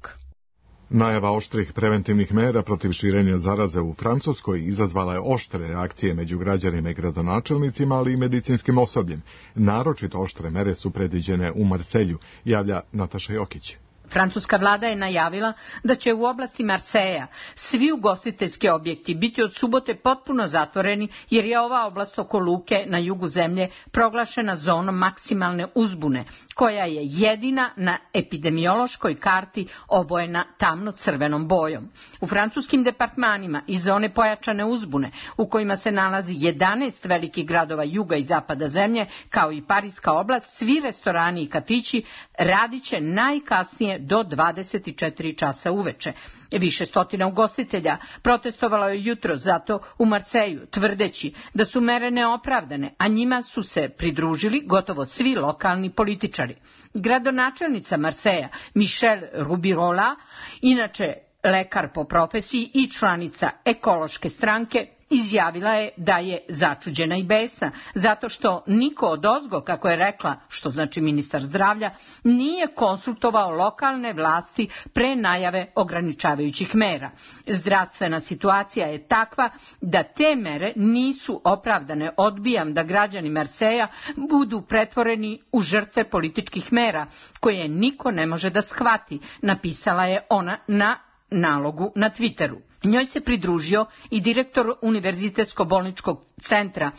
Najava oštrih preventivnih mera protiv širenja zaraze u Francuskoj izazvala je oštre reakcije među građanima i gradonačelnicima, ali i medicinskim osobljem. Naročito oštre mere su predviđene u Marselju, javlja Nataša Jokić. Francuska vlada je najavila da će u oblasti Marseja svi ugostiteljski objekti biti od subote potpuno zatvoreni, jer je ova oblast oko luke na jugu zemlje proglašena zonom maksimalne uzbune, koja je jedina na epidemiološkoj karti obojena tamno-crvenom bojom. U francuskim departmanima i zone pojačane uzbune, u kojima se nalazi jedanaest velikih gradova juga i zapada zemlje, kao i Pariska oblast, svi restorani i kafići radit će najkasnije otvaranje do dvadeset četiri časa uveče. Više stotina ugostitelja protestovalo je jutro zato u Marseju, tvrdeći da su mere neopravdane, a njima su se pridružili gotovo svi lokalni političari. Gradonačelnica Marseja, Michel Rubirola, inače lekar po profesiji i članica ekološke stranke, izjavila je da je začuđena i besna, zato što niko odozgo, kako je rekla, što znači ministar zdravlja, nije konsultovao lokalne vlasti pre najave ograničavajućih mera. Zdravstvena situacija je takva da te mere nisu opravdane. Odbijam da građani Marseja budu pretvoreni u žrtve političkih mera, koje niko ne može da shvati, napisala je ona na nalogu na Twitteru. Njoj se pridružio i direktor Univerzitetsko-bolničkog centra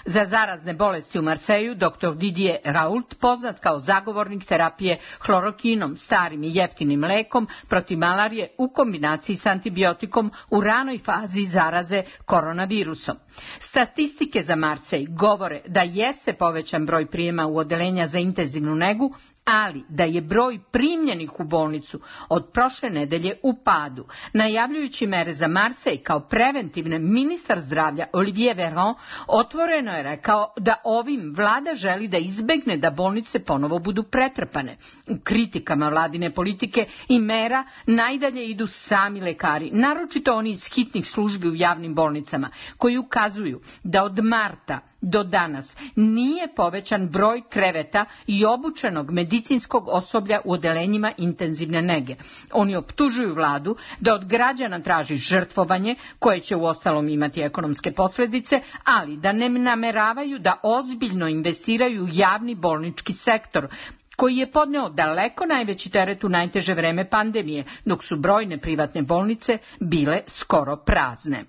za zarazne bolesti u Marseju, doktor Didier Raoult, poznat kao zagovornik terapije hlorokinom, starim i jeftinim lekom protiv malarije u kombinaciji s antibiotikom u ranoj fazi zaraze koronavirusom. Statistike za Marsej govore da jeste povećan broj prijema u odeljenja za intenzivnu negu, ali da je broj primljenih u bolnicu od prošle nedelje u padu. Najavljujući mere za Marsej kao preventivne, ministar zdravlja Olivier Véran otvoreno je rekao da ovim vlada želi da izbegne da bolnice ponovo budu pretrpane. U kritikama vladine politike i mera najdalje idu sami lekari, naročito oni iz hitnih službi u javnim bolnicama, koji ukazuju da od marta do danas nije povećan broj kreveta i obučenog medicinskog osoblja u odelenjima intenzivne nege. Oni optužuju vladu da od građana traži žrtvovanje, koje će uostalom imati ekonomske posljedice, ali da ne nameravaju da ozbiljno investiraju u javni bolnički sektor, koji je podneo daleko najveći teret u najteže vreme pandemije, dok su brojne privatne bolnice bile skoro prazne.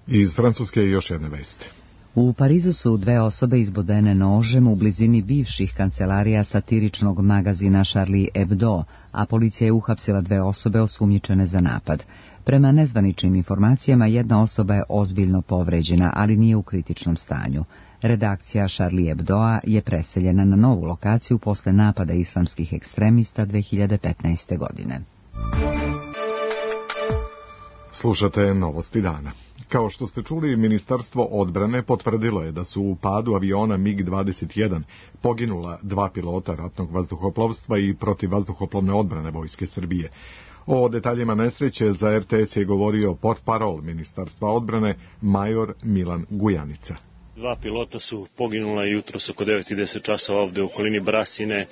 Iz Francuske još jedne vesti. U Parizu su dve osobe izbodene nožem u blizini bivših kancelarija satiričnog magazina Charlie Hebdo, a policija je uhapsila dve osobe osumnjičene za napad. Prema nezvaničnim informacijama, jedna osoba je ozbiljno povređena, ali nije u kritičnom stanju. Redakcija Charlie Hebdoa je preseljena na novu lokaciju posle napada islamskih ekstremista dve hiljade petnaeste. godine. Slušate novosti dana. Kao što ste čuli, Ministarstvo odbrane potvrdilo je da su u padu aviona MiG dvadeset jedan poginula dva pilota ratnog vazduhoplovstva i protivvazduhoplovne odbrane Vojske Srbije. O detaljima nesreće za er te es je govorio portparol Ministarstva odbrane major Milan Gujanica. Dva pilota su poginula jutros oko devet i deset časova ovde u okolini Brasine,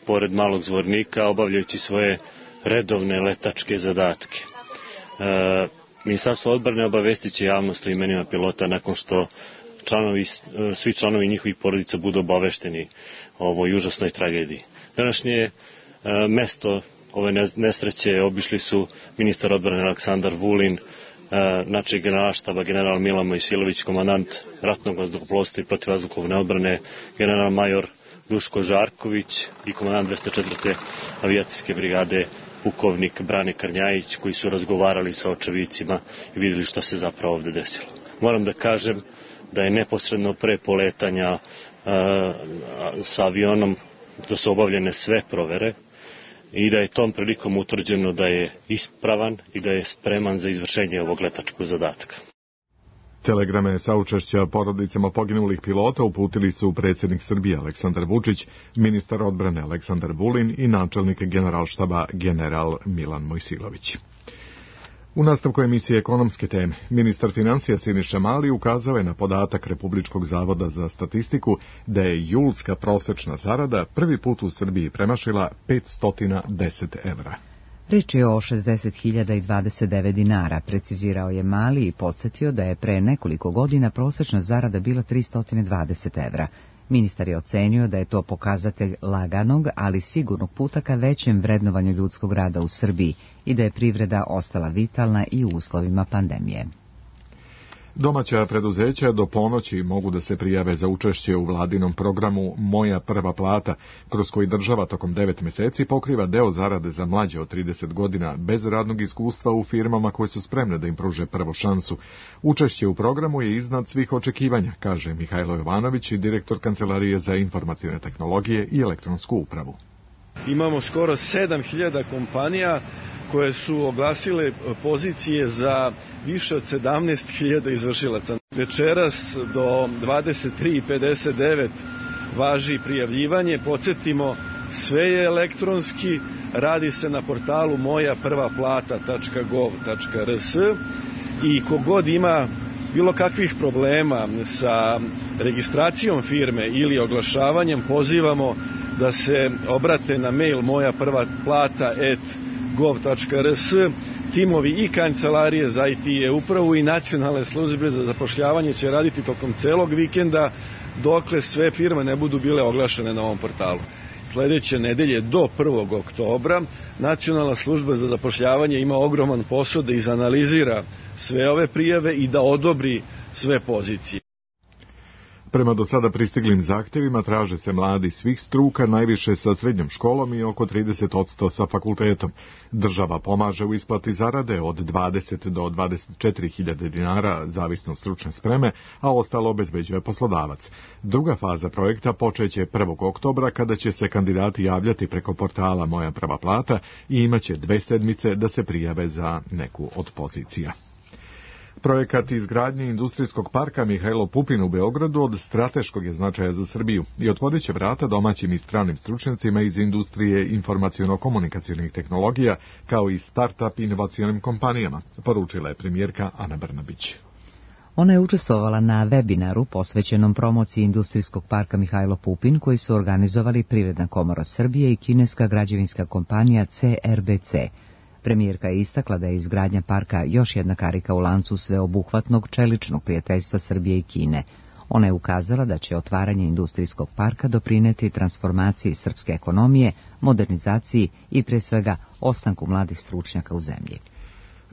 pored Malog Zvornika, obavljajući svoje redovne letačke zadatke. E, Ministarstvo odbrane obavestit će javnost o imenima pilota nakon što članovi, svi članovi njihovih porodica budu obavešteni o ovoj užasnoj tragediji. Današnje e, mesto ove nesreće obišli su ministar odbrane Aleksandar Vulin, e, načelnik generalštaba general Milan Mojsilović, komandant ratnog vazduhoplovstva i protivvazduhoplovne odbrane general major Duško Žarković i komandant dvesta četvrte avijacijske brigade pukovnik Brane Karnjajić, koji su razgovarali sa očevicima i vidjeli šta se zapravo ovde desilo. Moram da kažem da je neposredno pre poletanja e, sa avionom da su obavljene sve provere i da je tom prilikom utvrđeno da je ispravan i da je spreman za izvršenje ovog letačkog zadatka. Telegrame saučešća porodicama poginulih pilota uputili su predsjednik Srbije Aleksandar Vučić, ministar odbrane Aleksandar Vulin i načelnik generalštaba general Milan Mojsilović. U nastavku emisije Ekonomske teme, ministar financija Siniša Mali ukazao je na podatak Republičkog zavoda za statistiku da je julska prosečna zarada prvi put u Srbiji premašila petsto deset evra. Riječ je o šezdeset hiljada dvadeset devet dinara, precizirao je Mali i podsjetio da je pre nekoliko godina prosečna zarada bila tristo dvadeset evra. Ministar je ocenio da je to pokazatelj laganog, ali sigurnog puta ka većem vrednovanju ljudskog rada u Srbiji i da je privreda ostala vitalna i u uslovima pandemije. Domaća preduzeća do ponoći mogu da se prijave za učešće u vladinom programu Moja prva plata, kroz koji država tokom devet meseci pokriva deo zarade za mlađe od trideset godina bez radnog iskustva u firmama koje su spremne da im pruže prvu šansu. Učešće u programu je iznad svih očekivanja, kaže Mihajlo Jovanović, direktor Kancelarije za informacione tehnologije i elektronsku upravu. Imamo skoro sedam hiljada kompanija koje su oglasile pozicije za više od sedamnaest hiljada izvršilaca. Večeras do dvadeset tri pedeset devet važi prijavljivanje. Podsjetimo, sve je elektronski, radi se na portalu moja prva plata tačka gov tačka er s i kogod ima bilo kakvih problema sa registracijom firme ili oglašavanjem, pozivamo da se obrate na mail moja prva plata at gov tačka er s. Timovi i kancelarije za i te i upravu i nacionalne službe za zapošljavanje će raditi tokom celog vikenda dokle sve firme ne budu bile oglašene na ovom portalu. Sledeće nedelje do prvog oktobra Nacionalna služba za zapošljavanje ima ogroman posao da izanalizira sve ove prijave i da odobri sve pozicije. Prema do sada pristiglim zahtjevima traže se mladi svih struka, najviše sa srednjom školom i oko trideset posto sa fakultetom. Država pomaže u isplati zarade od dvadeset do dvadeset četiri hiljade dinara, zavisno stručne spreme, a ostalo obezbeđuje poslodavac. Druga faza projekta počeće prvog oktobra kada će se kandidati javljati preko portala Moja prva plata i imaće dve sedmice da se prijave za neku od pozicija. Projekat izgradnje industrijskog parka Mihajlo Pupin u Beogradu od strateškog je značaja za Srbiju i otvorit će vrata domaćim i stranim stručnjacima iz industrije informaciono-komunikacionih tehnologija, kao i start-up inovacionim kompanijama, poručila je premijerka Ana Brnabić. Ona je učestvovala na webinaru posvećenom promociji industrijskog parka Mihajlo Pupin, koji su organizovali Privredna komora Srbije i kineska građevinska kompanija ce er be ce. Premijerka je istakla da je izgradnja parka još jedna karika u lancu sveobuhvatnog čeličnog prijateljstva Srbije i Kine. Ona je ukazala da će otvaranje industrijskog parka doprineti transformaciji srpske ekonomije, modernizaciji i pre svega ostanku mladih stručnjaka u zemlji.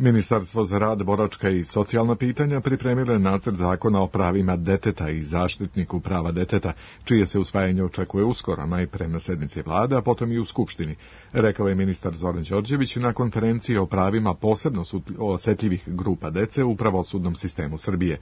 Ministarstvo za rad, boračka i socijalna pitanja pripremilo je nacrt zakona o pravima deteta i zaštitniku prava deteta, čije se usvajanje očekuje uskoro, najpre na sednici vlade, a potom i u Skupštini, rekao je ministar Zoran Đorđević na konferenciji o pravima posebno osetljivih grupa dece u pravosudnom sistemu Srbije.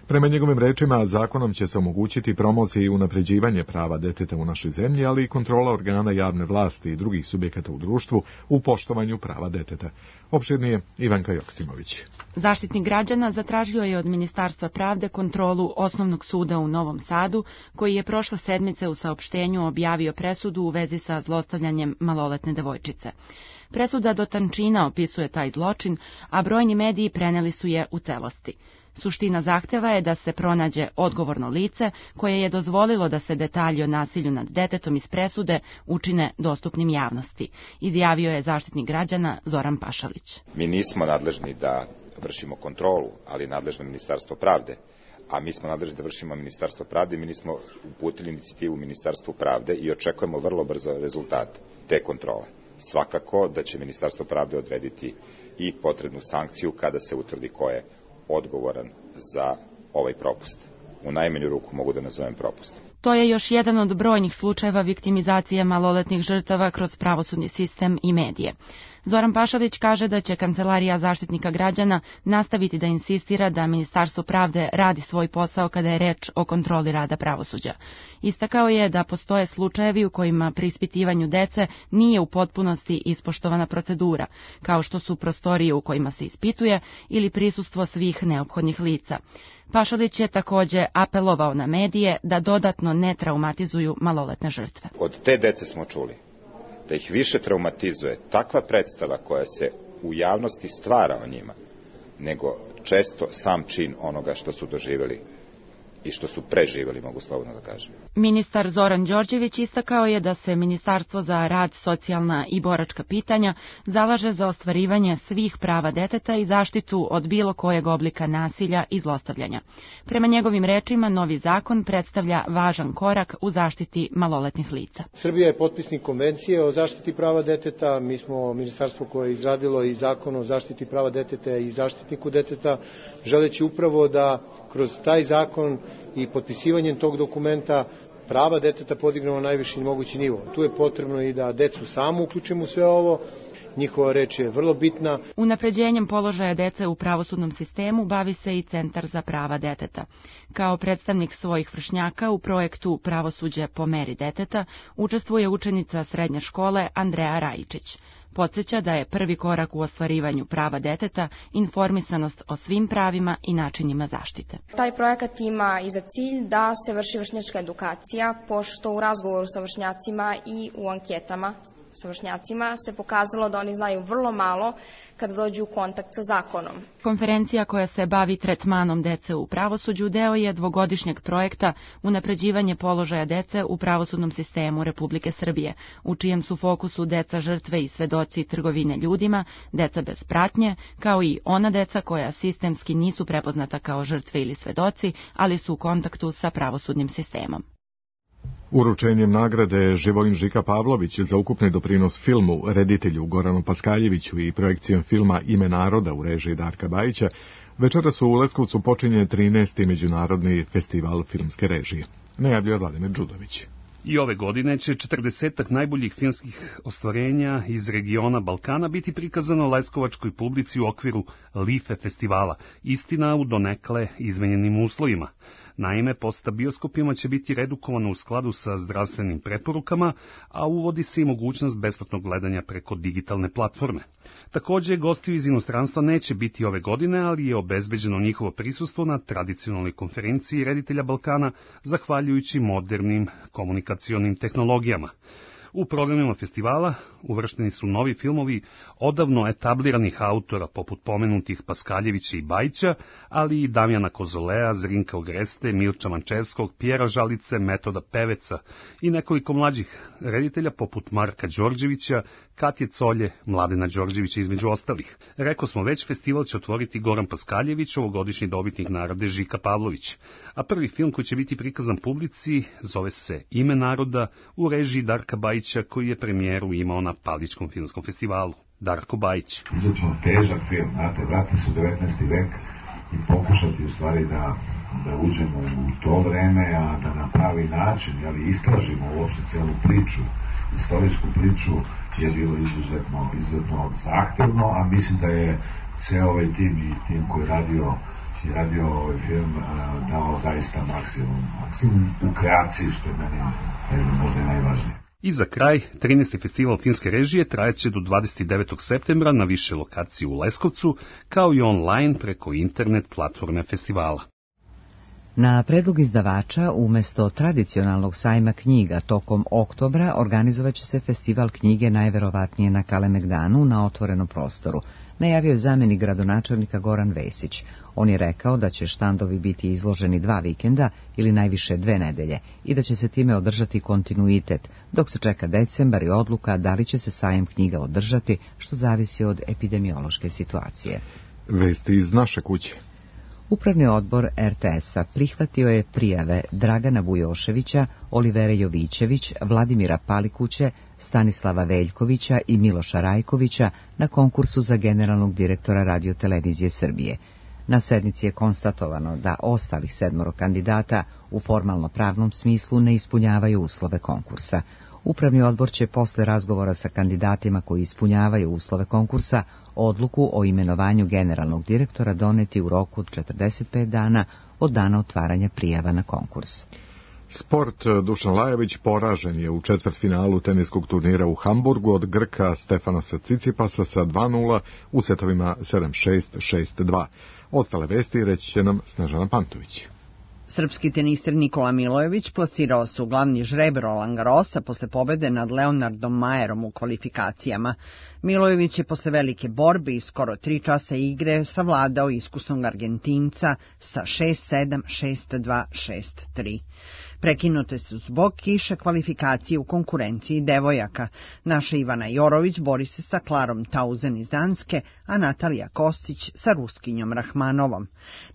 Prema njegovim rečima, zakonom će se omogućiti promocija i unapređivanje prava deteta u našoj zemlji, ali i kontrola organa javne vlasti i drugih subjekata u društvu u poštovanju prava deteta. Opširnije Ivanka Joksimović. Zaštitnik građana zatražio je od Ministarstva pravde kontrolu Osnovnog suda u Novom Sadu, koji je prošle sedmice u saopštenju objavio presudu u vezi sa zlostavljanjem maloletne devojčice. Presuda do tančina opisuje taj zločin, a brojni mediji preneli su je u celosti. Suština zahteva je da se pronađe odgovorno lice koje je dozvolilo da se detalji o nasilju nad detetom iz presude učine dostupnim javnosti, izjavio je zaštitnik građana Zoran Pašalić. Mi nismo nadležni da vršimo kontrolu, ali nadležno Ministarstvo pravde, a mi smo nadležni da vršimo Ministarstvo pravde i mi nismo uputili inicijativu Ministarstvu pravde i očekujemo vrlo brzo rezultat te kontrole. Svakako da će Ministarstvo pravde odrediti i potrebnu sankciju kada se utvrdi ko je odgovoran za ovaj propust. U najmanju ruku mogu da nazovem propustom. To je još jedan od brojnih slučajeva viktimizacije maloletnih žrtava kroz pravosudni sistem i medije. Zoran Pašalić kaže da će Kancelarija zaštitnika građana nastaviti da insistira da Ministarstvo pravde radi svoj posao kada je reč o kontroli rada pravosuđa. Istakao je da postoje slučajevi u kojima pri ispitivanju dece nije u potpunosti ispoštovana procedura, kao što su prostorije u kojima se ispituje ili prisustvo svih neophodnih lica. Pašalić je takođe apelovao na medije da dodatno ne traumatizuju maloletne žrtve. Od te dece smo čuli da ih više traumatizuje takva predstava koja se u javnosti stvara o njima, nego često sam čin onoga što su doživjeli i što su preživjeli, mogu slobodno da kažem. Ministar Zoran Đorđević istakao je da se Ministarstvo za rad, socijalna i boračka pitanja zalaže za ostvarivanje svih prava deteta i zaštitu od bilo kojeg oblika nasilja i zlostavljanja. Prema njegovim rečima, novi zakon predstavlja važan korak u zaštiti maloletnih lica. Srbija je potpisnik konvencije o zaštiti prava deteta. Mi smo ministarstvo koje je izradilo i zakon o zaštiti prava deteta i zaštitniku deteta, želeći upravo da kroz taj zakon i potpisivanjem tog dokumenta prava deteta podignemo na najviši mogući nivo. Tu je potrebno i da decu samu uključimo u sve ovo. njihova reč je vrlo bitna. Unapređenjem položaja dece u pravosudnom sistemu bavi se i Centar za prava deteta. Kao predstavnik svojih vršnjaka u projektu Pravosuđe po meri deteta učestvuje učenica srednje škole Andreja Rajičić. Podsjeća da je prvi korak u ostvarivanju prava deteta informisanost o svim pravima i načinima zaštite. Taj projekat ima i za cilj da se vrši vršnjačka edukacija, pošto u razgovoru sa vršnjacima i u anketama sa vršnjacima se pokazalo da oni znaju vrlo malo kada dođu u kontakt sa zakonom. Konferencija koja se bavi tretmanom dece u pravosuđu deo je dvogodišnjeg projekta Unapređivanje položaja dece u pravosudnom sistemu Republike Srbije, u čijem su fokusu deca žrtve i svedoci trgovine ljudima, deca bez pratnje, kao i ona deca koja sistemski nisu prepoznata kao žrtve ili svedoci, ali su u kontaktu sa pravosudnim sistemom. Uručenjem nagrade Živojin Žika Pavlović za ukupni doprinos filmu, reditelju Goranu Paskaljeviću i projekcijom filma Ime naroda u režiji Darka Bajića, večeras u Leskovcu počinje trinaesti Međunarodni festival filmske režije. Najavljuje Vladimir Đudović. I ove godine će četrdesetak najboljih filmskih ostvarenja iz regiona Balkana biti prikazano leskovačkoj publici u okviru Life festivala, istina u donekle izmenjenim uslovima. Naime, posta bioskopima će biti redukovano u skladu sa zdravstvenim preporukama, a uvodi se i mogućnost besplatnog gledanja preko digitalne platforme. Također, gostiju iz inostranstva neće biti ove godine, ali je obezbeđeno njihovo prisustvo na tradicionalnoj konferenciji reditelja Balkana, zahvaljujući modernim komunikacionim tehnologijama. U programima festivala uvršteni su novi filmovi odavno etabliranih autora poput pomenutih Paskaljevića i Bajića, ali i Damjana Kozolea, Zrinka Ogreste, Milča Mančevskog, Pjera Žalice, Metoda Peveca i nekoliko mlađih reditelja poput Marka Đorđevića, Katje Colje, Mladena Đorđevića između ostalih. Reko smo već, festival će otvoriti Goran Paskaljević, ovogodišnji dobitnik nagrade Žika Pavlović. A prvi film koji će biti prikazan publici zove se Ime naroda u režiji Darka Bajića, koji je premijeru imao na Paličkom filmskom festivalu. Darko Bajić. Izuzetno težak film, znate, vrati se u devetnaesti vek i pokušati u stvari da, da uđemo u to vreme, a da na pravi način, ali istražimo uopšte celu priču, istorijsku priču, je bilo izuzetno, izuzetno zahtevno, a mislim da je ceo ovaj tim i tim koji je radio i radio ovaj film dao zaista maksimum, maksimum u kreaciji, što je meni možda najvažnije. I za kraj, trinaesti festival filmske režije trajaće do dvadeset devetog septembra na više lokacije u Leskovcu, kao i online preko internet platforme festivala. Na predlog izdavača, umjesto tradicionalnog sajma knjiga tokom oktobra, organizovaće se festival knjige najverovatnije na Kalemegdanu na otvorenom prostoru, najavio je zamjenik gradonačelnika Goran Vesić. On je rekao da će štandovi biti izloženi dva vikenda ili najviše dve nedelje i da će se time održati kontinuitet, dok se čeka decembar i odluka da li će se sajam knjiga održati, što zavisi od epidemiološke situacije. Vesti iz naše kuće. Upravni odbor er te es-a prihvatio je prijave Dragana Bujoševića, Olivere Jovićević, Vladimira Palikuće, Stanislava Veljkovića i Miloša Rajkovića na konkursu za generalnog direktora Radiotelevizije Srbije. Na sednici je konstatovano da ostalih sedmoro kandidata u formalno-pravnom smislu ne ispunjavaju uslove konkursa. Upravni odbor će posle razgovora sa kandidatima koji ispunjavaju uslove konkursa odluku o imenovanju generalnog direktora doneti u roku od četrdeset pet dana od dana otvaranja prijava na konkurs. Sport. Dušan Lajović poražen je u četvrtfinalu teniskog turnira u Hamburgu od Grka Stefanasa Cicipasa sa dva nula u setovima sedam šest, šest dva. Ostale vesti reći će nam Snežana Pantović. Srpski teniser Nikola Milojević plasirao se u glavni žreb Roland Garrosa posle pobede nad Leonardom Majerom u kvalifikacijama. Milojević je posle velike borbe i skoro tri časa igre savladao iskusnog Argentinca sa šest sedam, šest dva, šest tri. Prekinute su zbog kiše kvalifikacije u konkurenciji devojaka. Naša Ivana Jorović bori se sa Klarom Tauzen iz Danske, a Natalija Kostić sa Ruskinjom Rahmanovom.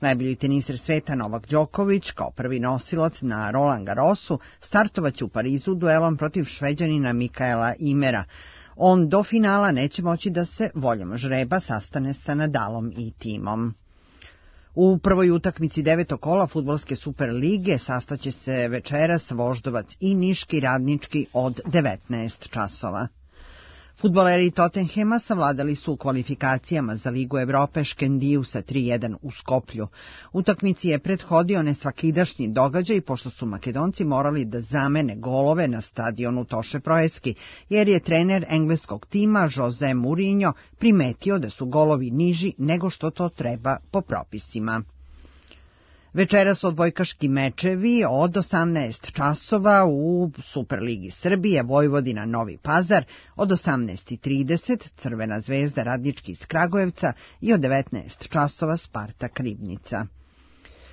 Najbolji teniser sveta Novak Đoković, kao prvi nosilac na Roland Garrosu, startovaće u Parizu duelom protiv Šveđanina Mikaela Imera. On do finala neće moći da se voljom žreba sastane sa Nadalom i timom. U prvoj utakmici devetog kola fudbalske Super lige sastaće se večeras Voždovac i Niški Radnički od devetnaest časova. Fudbaleri Tottenhema savladali su u kvalifikacijama za Ligu Evrope Škendiju sa tri jedan u Skoplju. Utakmici je prethodio nesvakidašnji događaj pošto su Makedonci morali da zamene golove na stadionu Toše Proeski, jer je trener engleskog tima Jose Mourinho primetio da su golovi niži nego što to treba po propisima. Večeras odbojkaški mečevi od osamnaest časova u Superligi Srbije, Vojvodina Novi Pazar, od osamnaest trideset Crvena zvezda Radnički iz Kragujevca i od devetnaest časova Spartak Ribnica.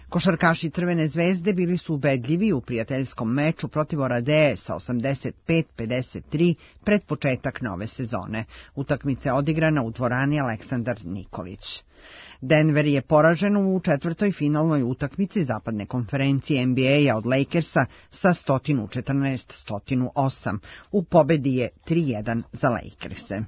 Košarkaši Crvene zvezde bili su ubedljivi u prijateljskom meču protiv Oradeje sa osamdeset pet pedeset tri pred početak nove sezone. Utakmica je odigrana u dvorani Aleksandar Nikolić. Denver je poražen u četvrtoj finalnoj utakmici zapadne konferencije N B A-a od Lakersa sa sto četrnaest sto osam. U pobedi je tri jedan za Lakerse.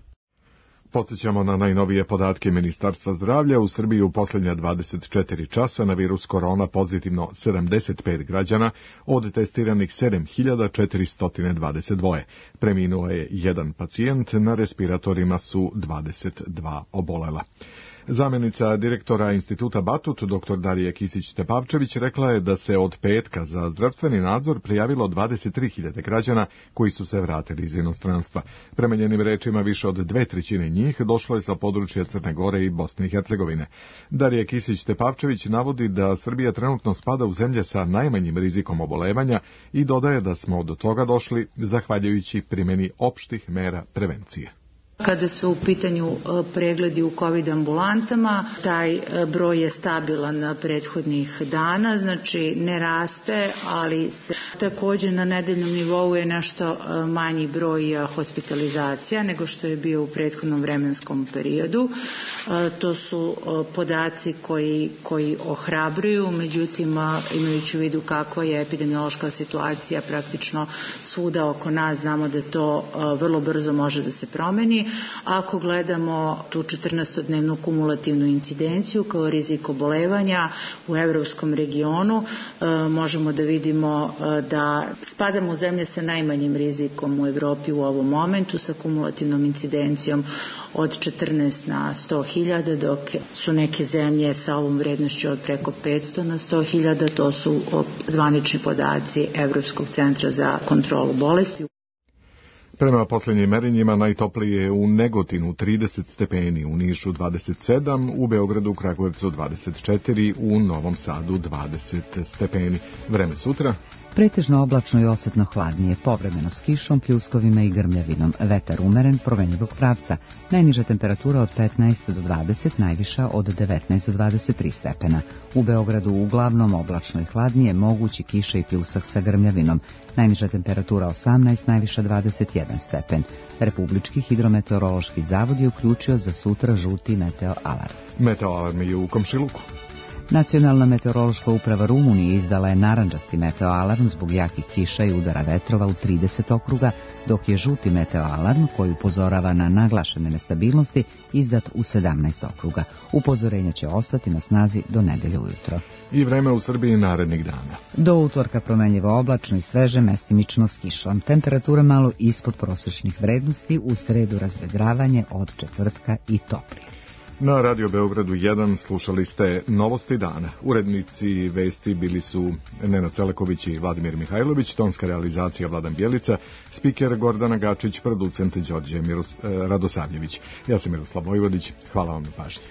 Podsjećamo na najnovije podatke Ministarstva zdravlja. U Srbiji u posljednja dvadeset četiri časa na virus korona pozitivno sedamdeset pet građana, od testiranih sedam hiljada četiristo dvadeset dva. Preminuo je jedan pacijent, na respiratorima su dvadeset dva obolela. Zamjenica direktora Instituta Batut, dr Darija Kisić-Tepavčević, rekla je da se od petka za zdravstveni nadzor prijavilo dvadeset tri hiljade građana koji su se vratili iz inostranstva. Prema njenim rečima, više od dve trećine njih došlo je sa područja Crne Gore i Bosne i Hercegovine. Darija Kisić-Tepavčević navodi da Srbija trenutno spada u zemlje sa najmanjim rizikom obolevanja i dodaje da smo do toga došli zahvaljujući primjeni opštih mera prevencije. Kada su u pitanju pregledi u COVID ambulantama, taj broj je stabilan prethodnih dana, znači ne raste, ali se također na nedeljnom nivou je nešto manji broj hospitalizacija nego što je bio u prethodnom vremenskom periodu. To su podaci koji, koji ohrabruju, međutim imajući u vidu kakva je epidemiološka situacija praktično svuda oko nas, znamo da to vrlo brzo može da se promeni. Ako gledamo tu četrnaestodnevnu kumulativnu incidenciju kao rizik obolevanja u evropskom regionu, možemo da vidimo da spadamo u zemlje sa najmanjim rizikom u Evropi u ovom momentu, sa kumulativnom incidencijom od četrnaest na sto hiljada, dok su neke zemlje sa ovom vrednošću od preko petsto na sto hiljada, to su zvanični podaci Evropskog centra za kontrolu bolesti. Prema posljednjim merenjima najtoplije je u Negotinu trideset stepeni, u Nišu dvadeset sedam, u Beogradu, Kragujevcu dvadeset četiri, u Novom Sadu dvadeset stepeni. Vreme sutra? Pretežno oblačno i osetno hladnije, povremeno s kišom, pljuskovima i grmljavinom. Vetar umeren, promenjivog pravca. Najniža temperatura od petnaest do dvadeset, najviša od devetnaest do dvadeset tri stepena. U Beogradu uglavnom oblačno i hladnije, mogući kiša i pljusak sa grmljavinom. Najniža temperatura osamnaest, najviša dvadeset jedan stepen. Republički hidrometeorološki zavod je uključio za sutra žuti meteo alarm. Meteo alarm je u Komšiluku. Nacionalna meteorološka uprava Rumunije izdala je narandžasti meteo alarm zbog jakih kiša i udara vetrova u trideset okruga, dok je žuti meteo alarm, koji upozorava na naglašene nestabilnosti, izdat u sedamnaest okruga. Upozorenja će ostati na snazi do nedelje ujutro. I vreme u Srbiji narednih dana. Do utorka promenljivo oblačno i sveže, mestimično s kišom. Temperatura malo ispod prosječnih vrednosti, u sredu razvedravanje, od četvrtka i toplije. Na Radio Beogradu jedan slušali ste Novosti dana. Urednici vesti bili su Nenad Celeković i Vladimir Mihajlović, tonska realizacija Vladan Bjelica, spiker Gordana Gačić, producent Đorđe Miros, Radosavljević. Ja sam Miroslav Vojvodić, hvala vam na pažnji.